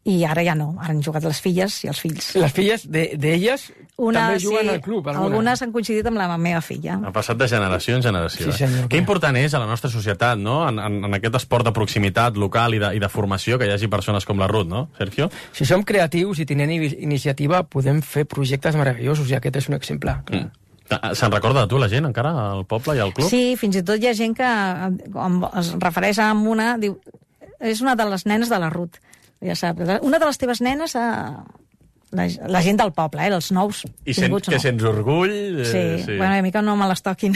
I ara ja no, ara han jugat les filles i els fills. Les filles d'elles de, també juguen sí, al club? Alguna. Algunes han coincidit amb la meva filla. Ha passat de generació en generació. Sí, senyor, que important és a la nostra societat, no? En, en, en aquest esport de proximitat local i de, i de formació, que hi hagi persones com la Ruth, no, Sergio? Si som creatius i tenim iniciativa, podem fer projectes meravellosos, i aquest és un exemple. Mm. Se'n recorda de tu la gent encara, al poble i al club? Sí, fins i tot hi ha gent que es refereix a una, diu, és una de les nenes de la Ruth. Ja saps, una de les teves nenes ha, la, la gent del poble, eh? Els nous I sent, vinguts que no. sents orgull? Eh, Sí. sí, bueno, a mi que no me les toquin.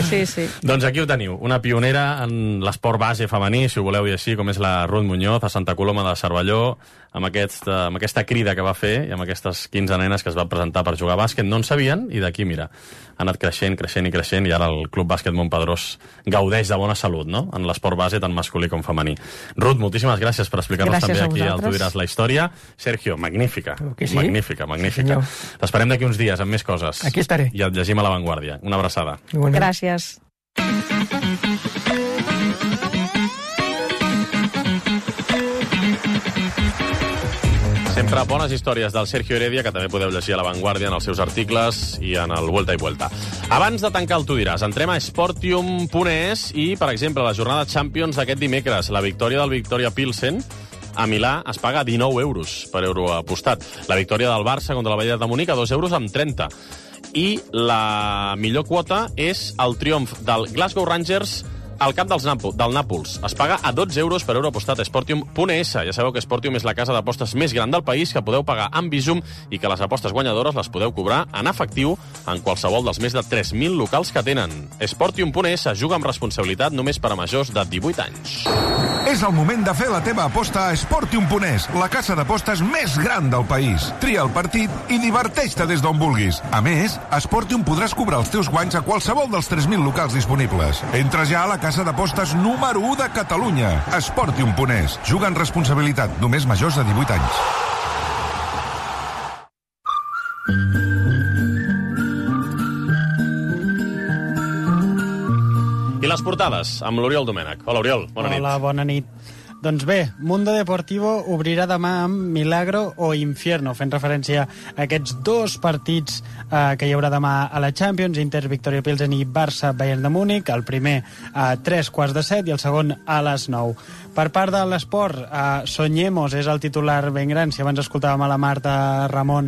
sí, sí. Doncs aquí ho teniu, una pionera en l'esport base femení, si ho voleu dir així, com és la Ruth Muñoz, a Santa Coloma de Cervelló, amb, aquest, amb aquesta crida que va fer i amb aquestes quinze nenes que es va presentar per jugar a bàsquet, no en sabien, i d'aquí, mira, ha anat creixent, creixent i creixent, i ara el Club Bàsquet Montpedrós gaudeix de bona salut, no?, en l'esport base, tant masculí com femení. Ruth, moltíssimes gràcies per explicar-nos gràcies també aquí al Tu diràs la història. Sergio, magnífica, sí? magnífica, magnífica. Sí, t'esperem d'aquí uns dies amb més coses. Aquí estaré. I et llegim a La Vanguardia. Una abraçada. Igualment. Gràcies. Sempre bones històries del Sergio Heredia, que també podeu llegir a La Vanguardia en els seus articles i en el Vuelta i Vuelta. Abans de tancar el Tu diràs, entrem a Sportium punt es i, per exemple, la jornada Champions d'aquest dimecres, la victòria del Victoria Pilsen a Milà es paga dinou euros per euro apostat. La victòria del Barça contra la Bayern de Múnich a dos euros amb trenta. I la millor quota és el triomf del Glasgow Rangers al camp dels Nàpols, del Nàpols. Es paga a dotze euros per euro apostat a Sportium punt es. Ja sabeu que Sportium és la casa d'apostes més gran del país, que podeu pagar amb Bizum i que les apostes guanyadores les podeu cobrar en efectiu en qualsevol dels més de tres mil locals que tenen. Sportium punt es juga amb responsabilitat només per a majors de divuit anys. És el moment de fer la teva aposta a Sportium punt es, la casa d'apostes més gran del país. Tria el partit i diverteix-te des d'on vulguis. A més, a Sportium podràs cobrar els teus guanys a qualsevol dels tres mil locals disponibles. Entra ja a la casa d'apostes número u de Catalunya. Sportium punt es. Juga amb responsabilitat, només majors de divuit anys. I les portades, amb l'Oriol Domènech. Hola, Oriol, bona nit. Hola, bona nit. Doncs bé, Mundo Deportivo obrirà demà amb Milagro o Infierno, fent referència a aquests dos partits eh, que hi haurà demà a la Champions, Inter Victoria Pilsen i Barça Bayern de Múnich, el primer a tres quarts de set i el segon a les nou. Per part de l'esport, eh, Soñemos és el titular ben gran, si abans escoltàvem a la Marta Ramon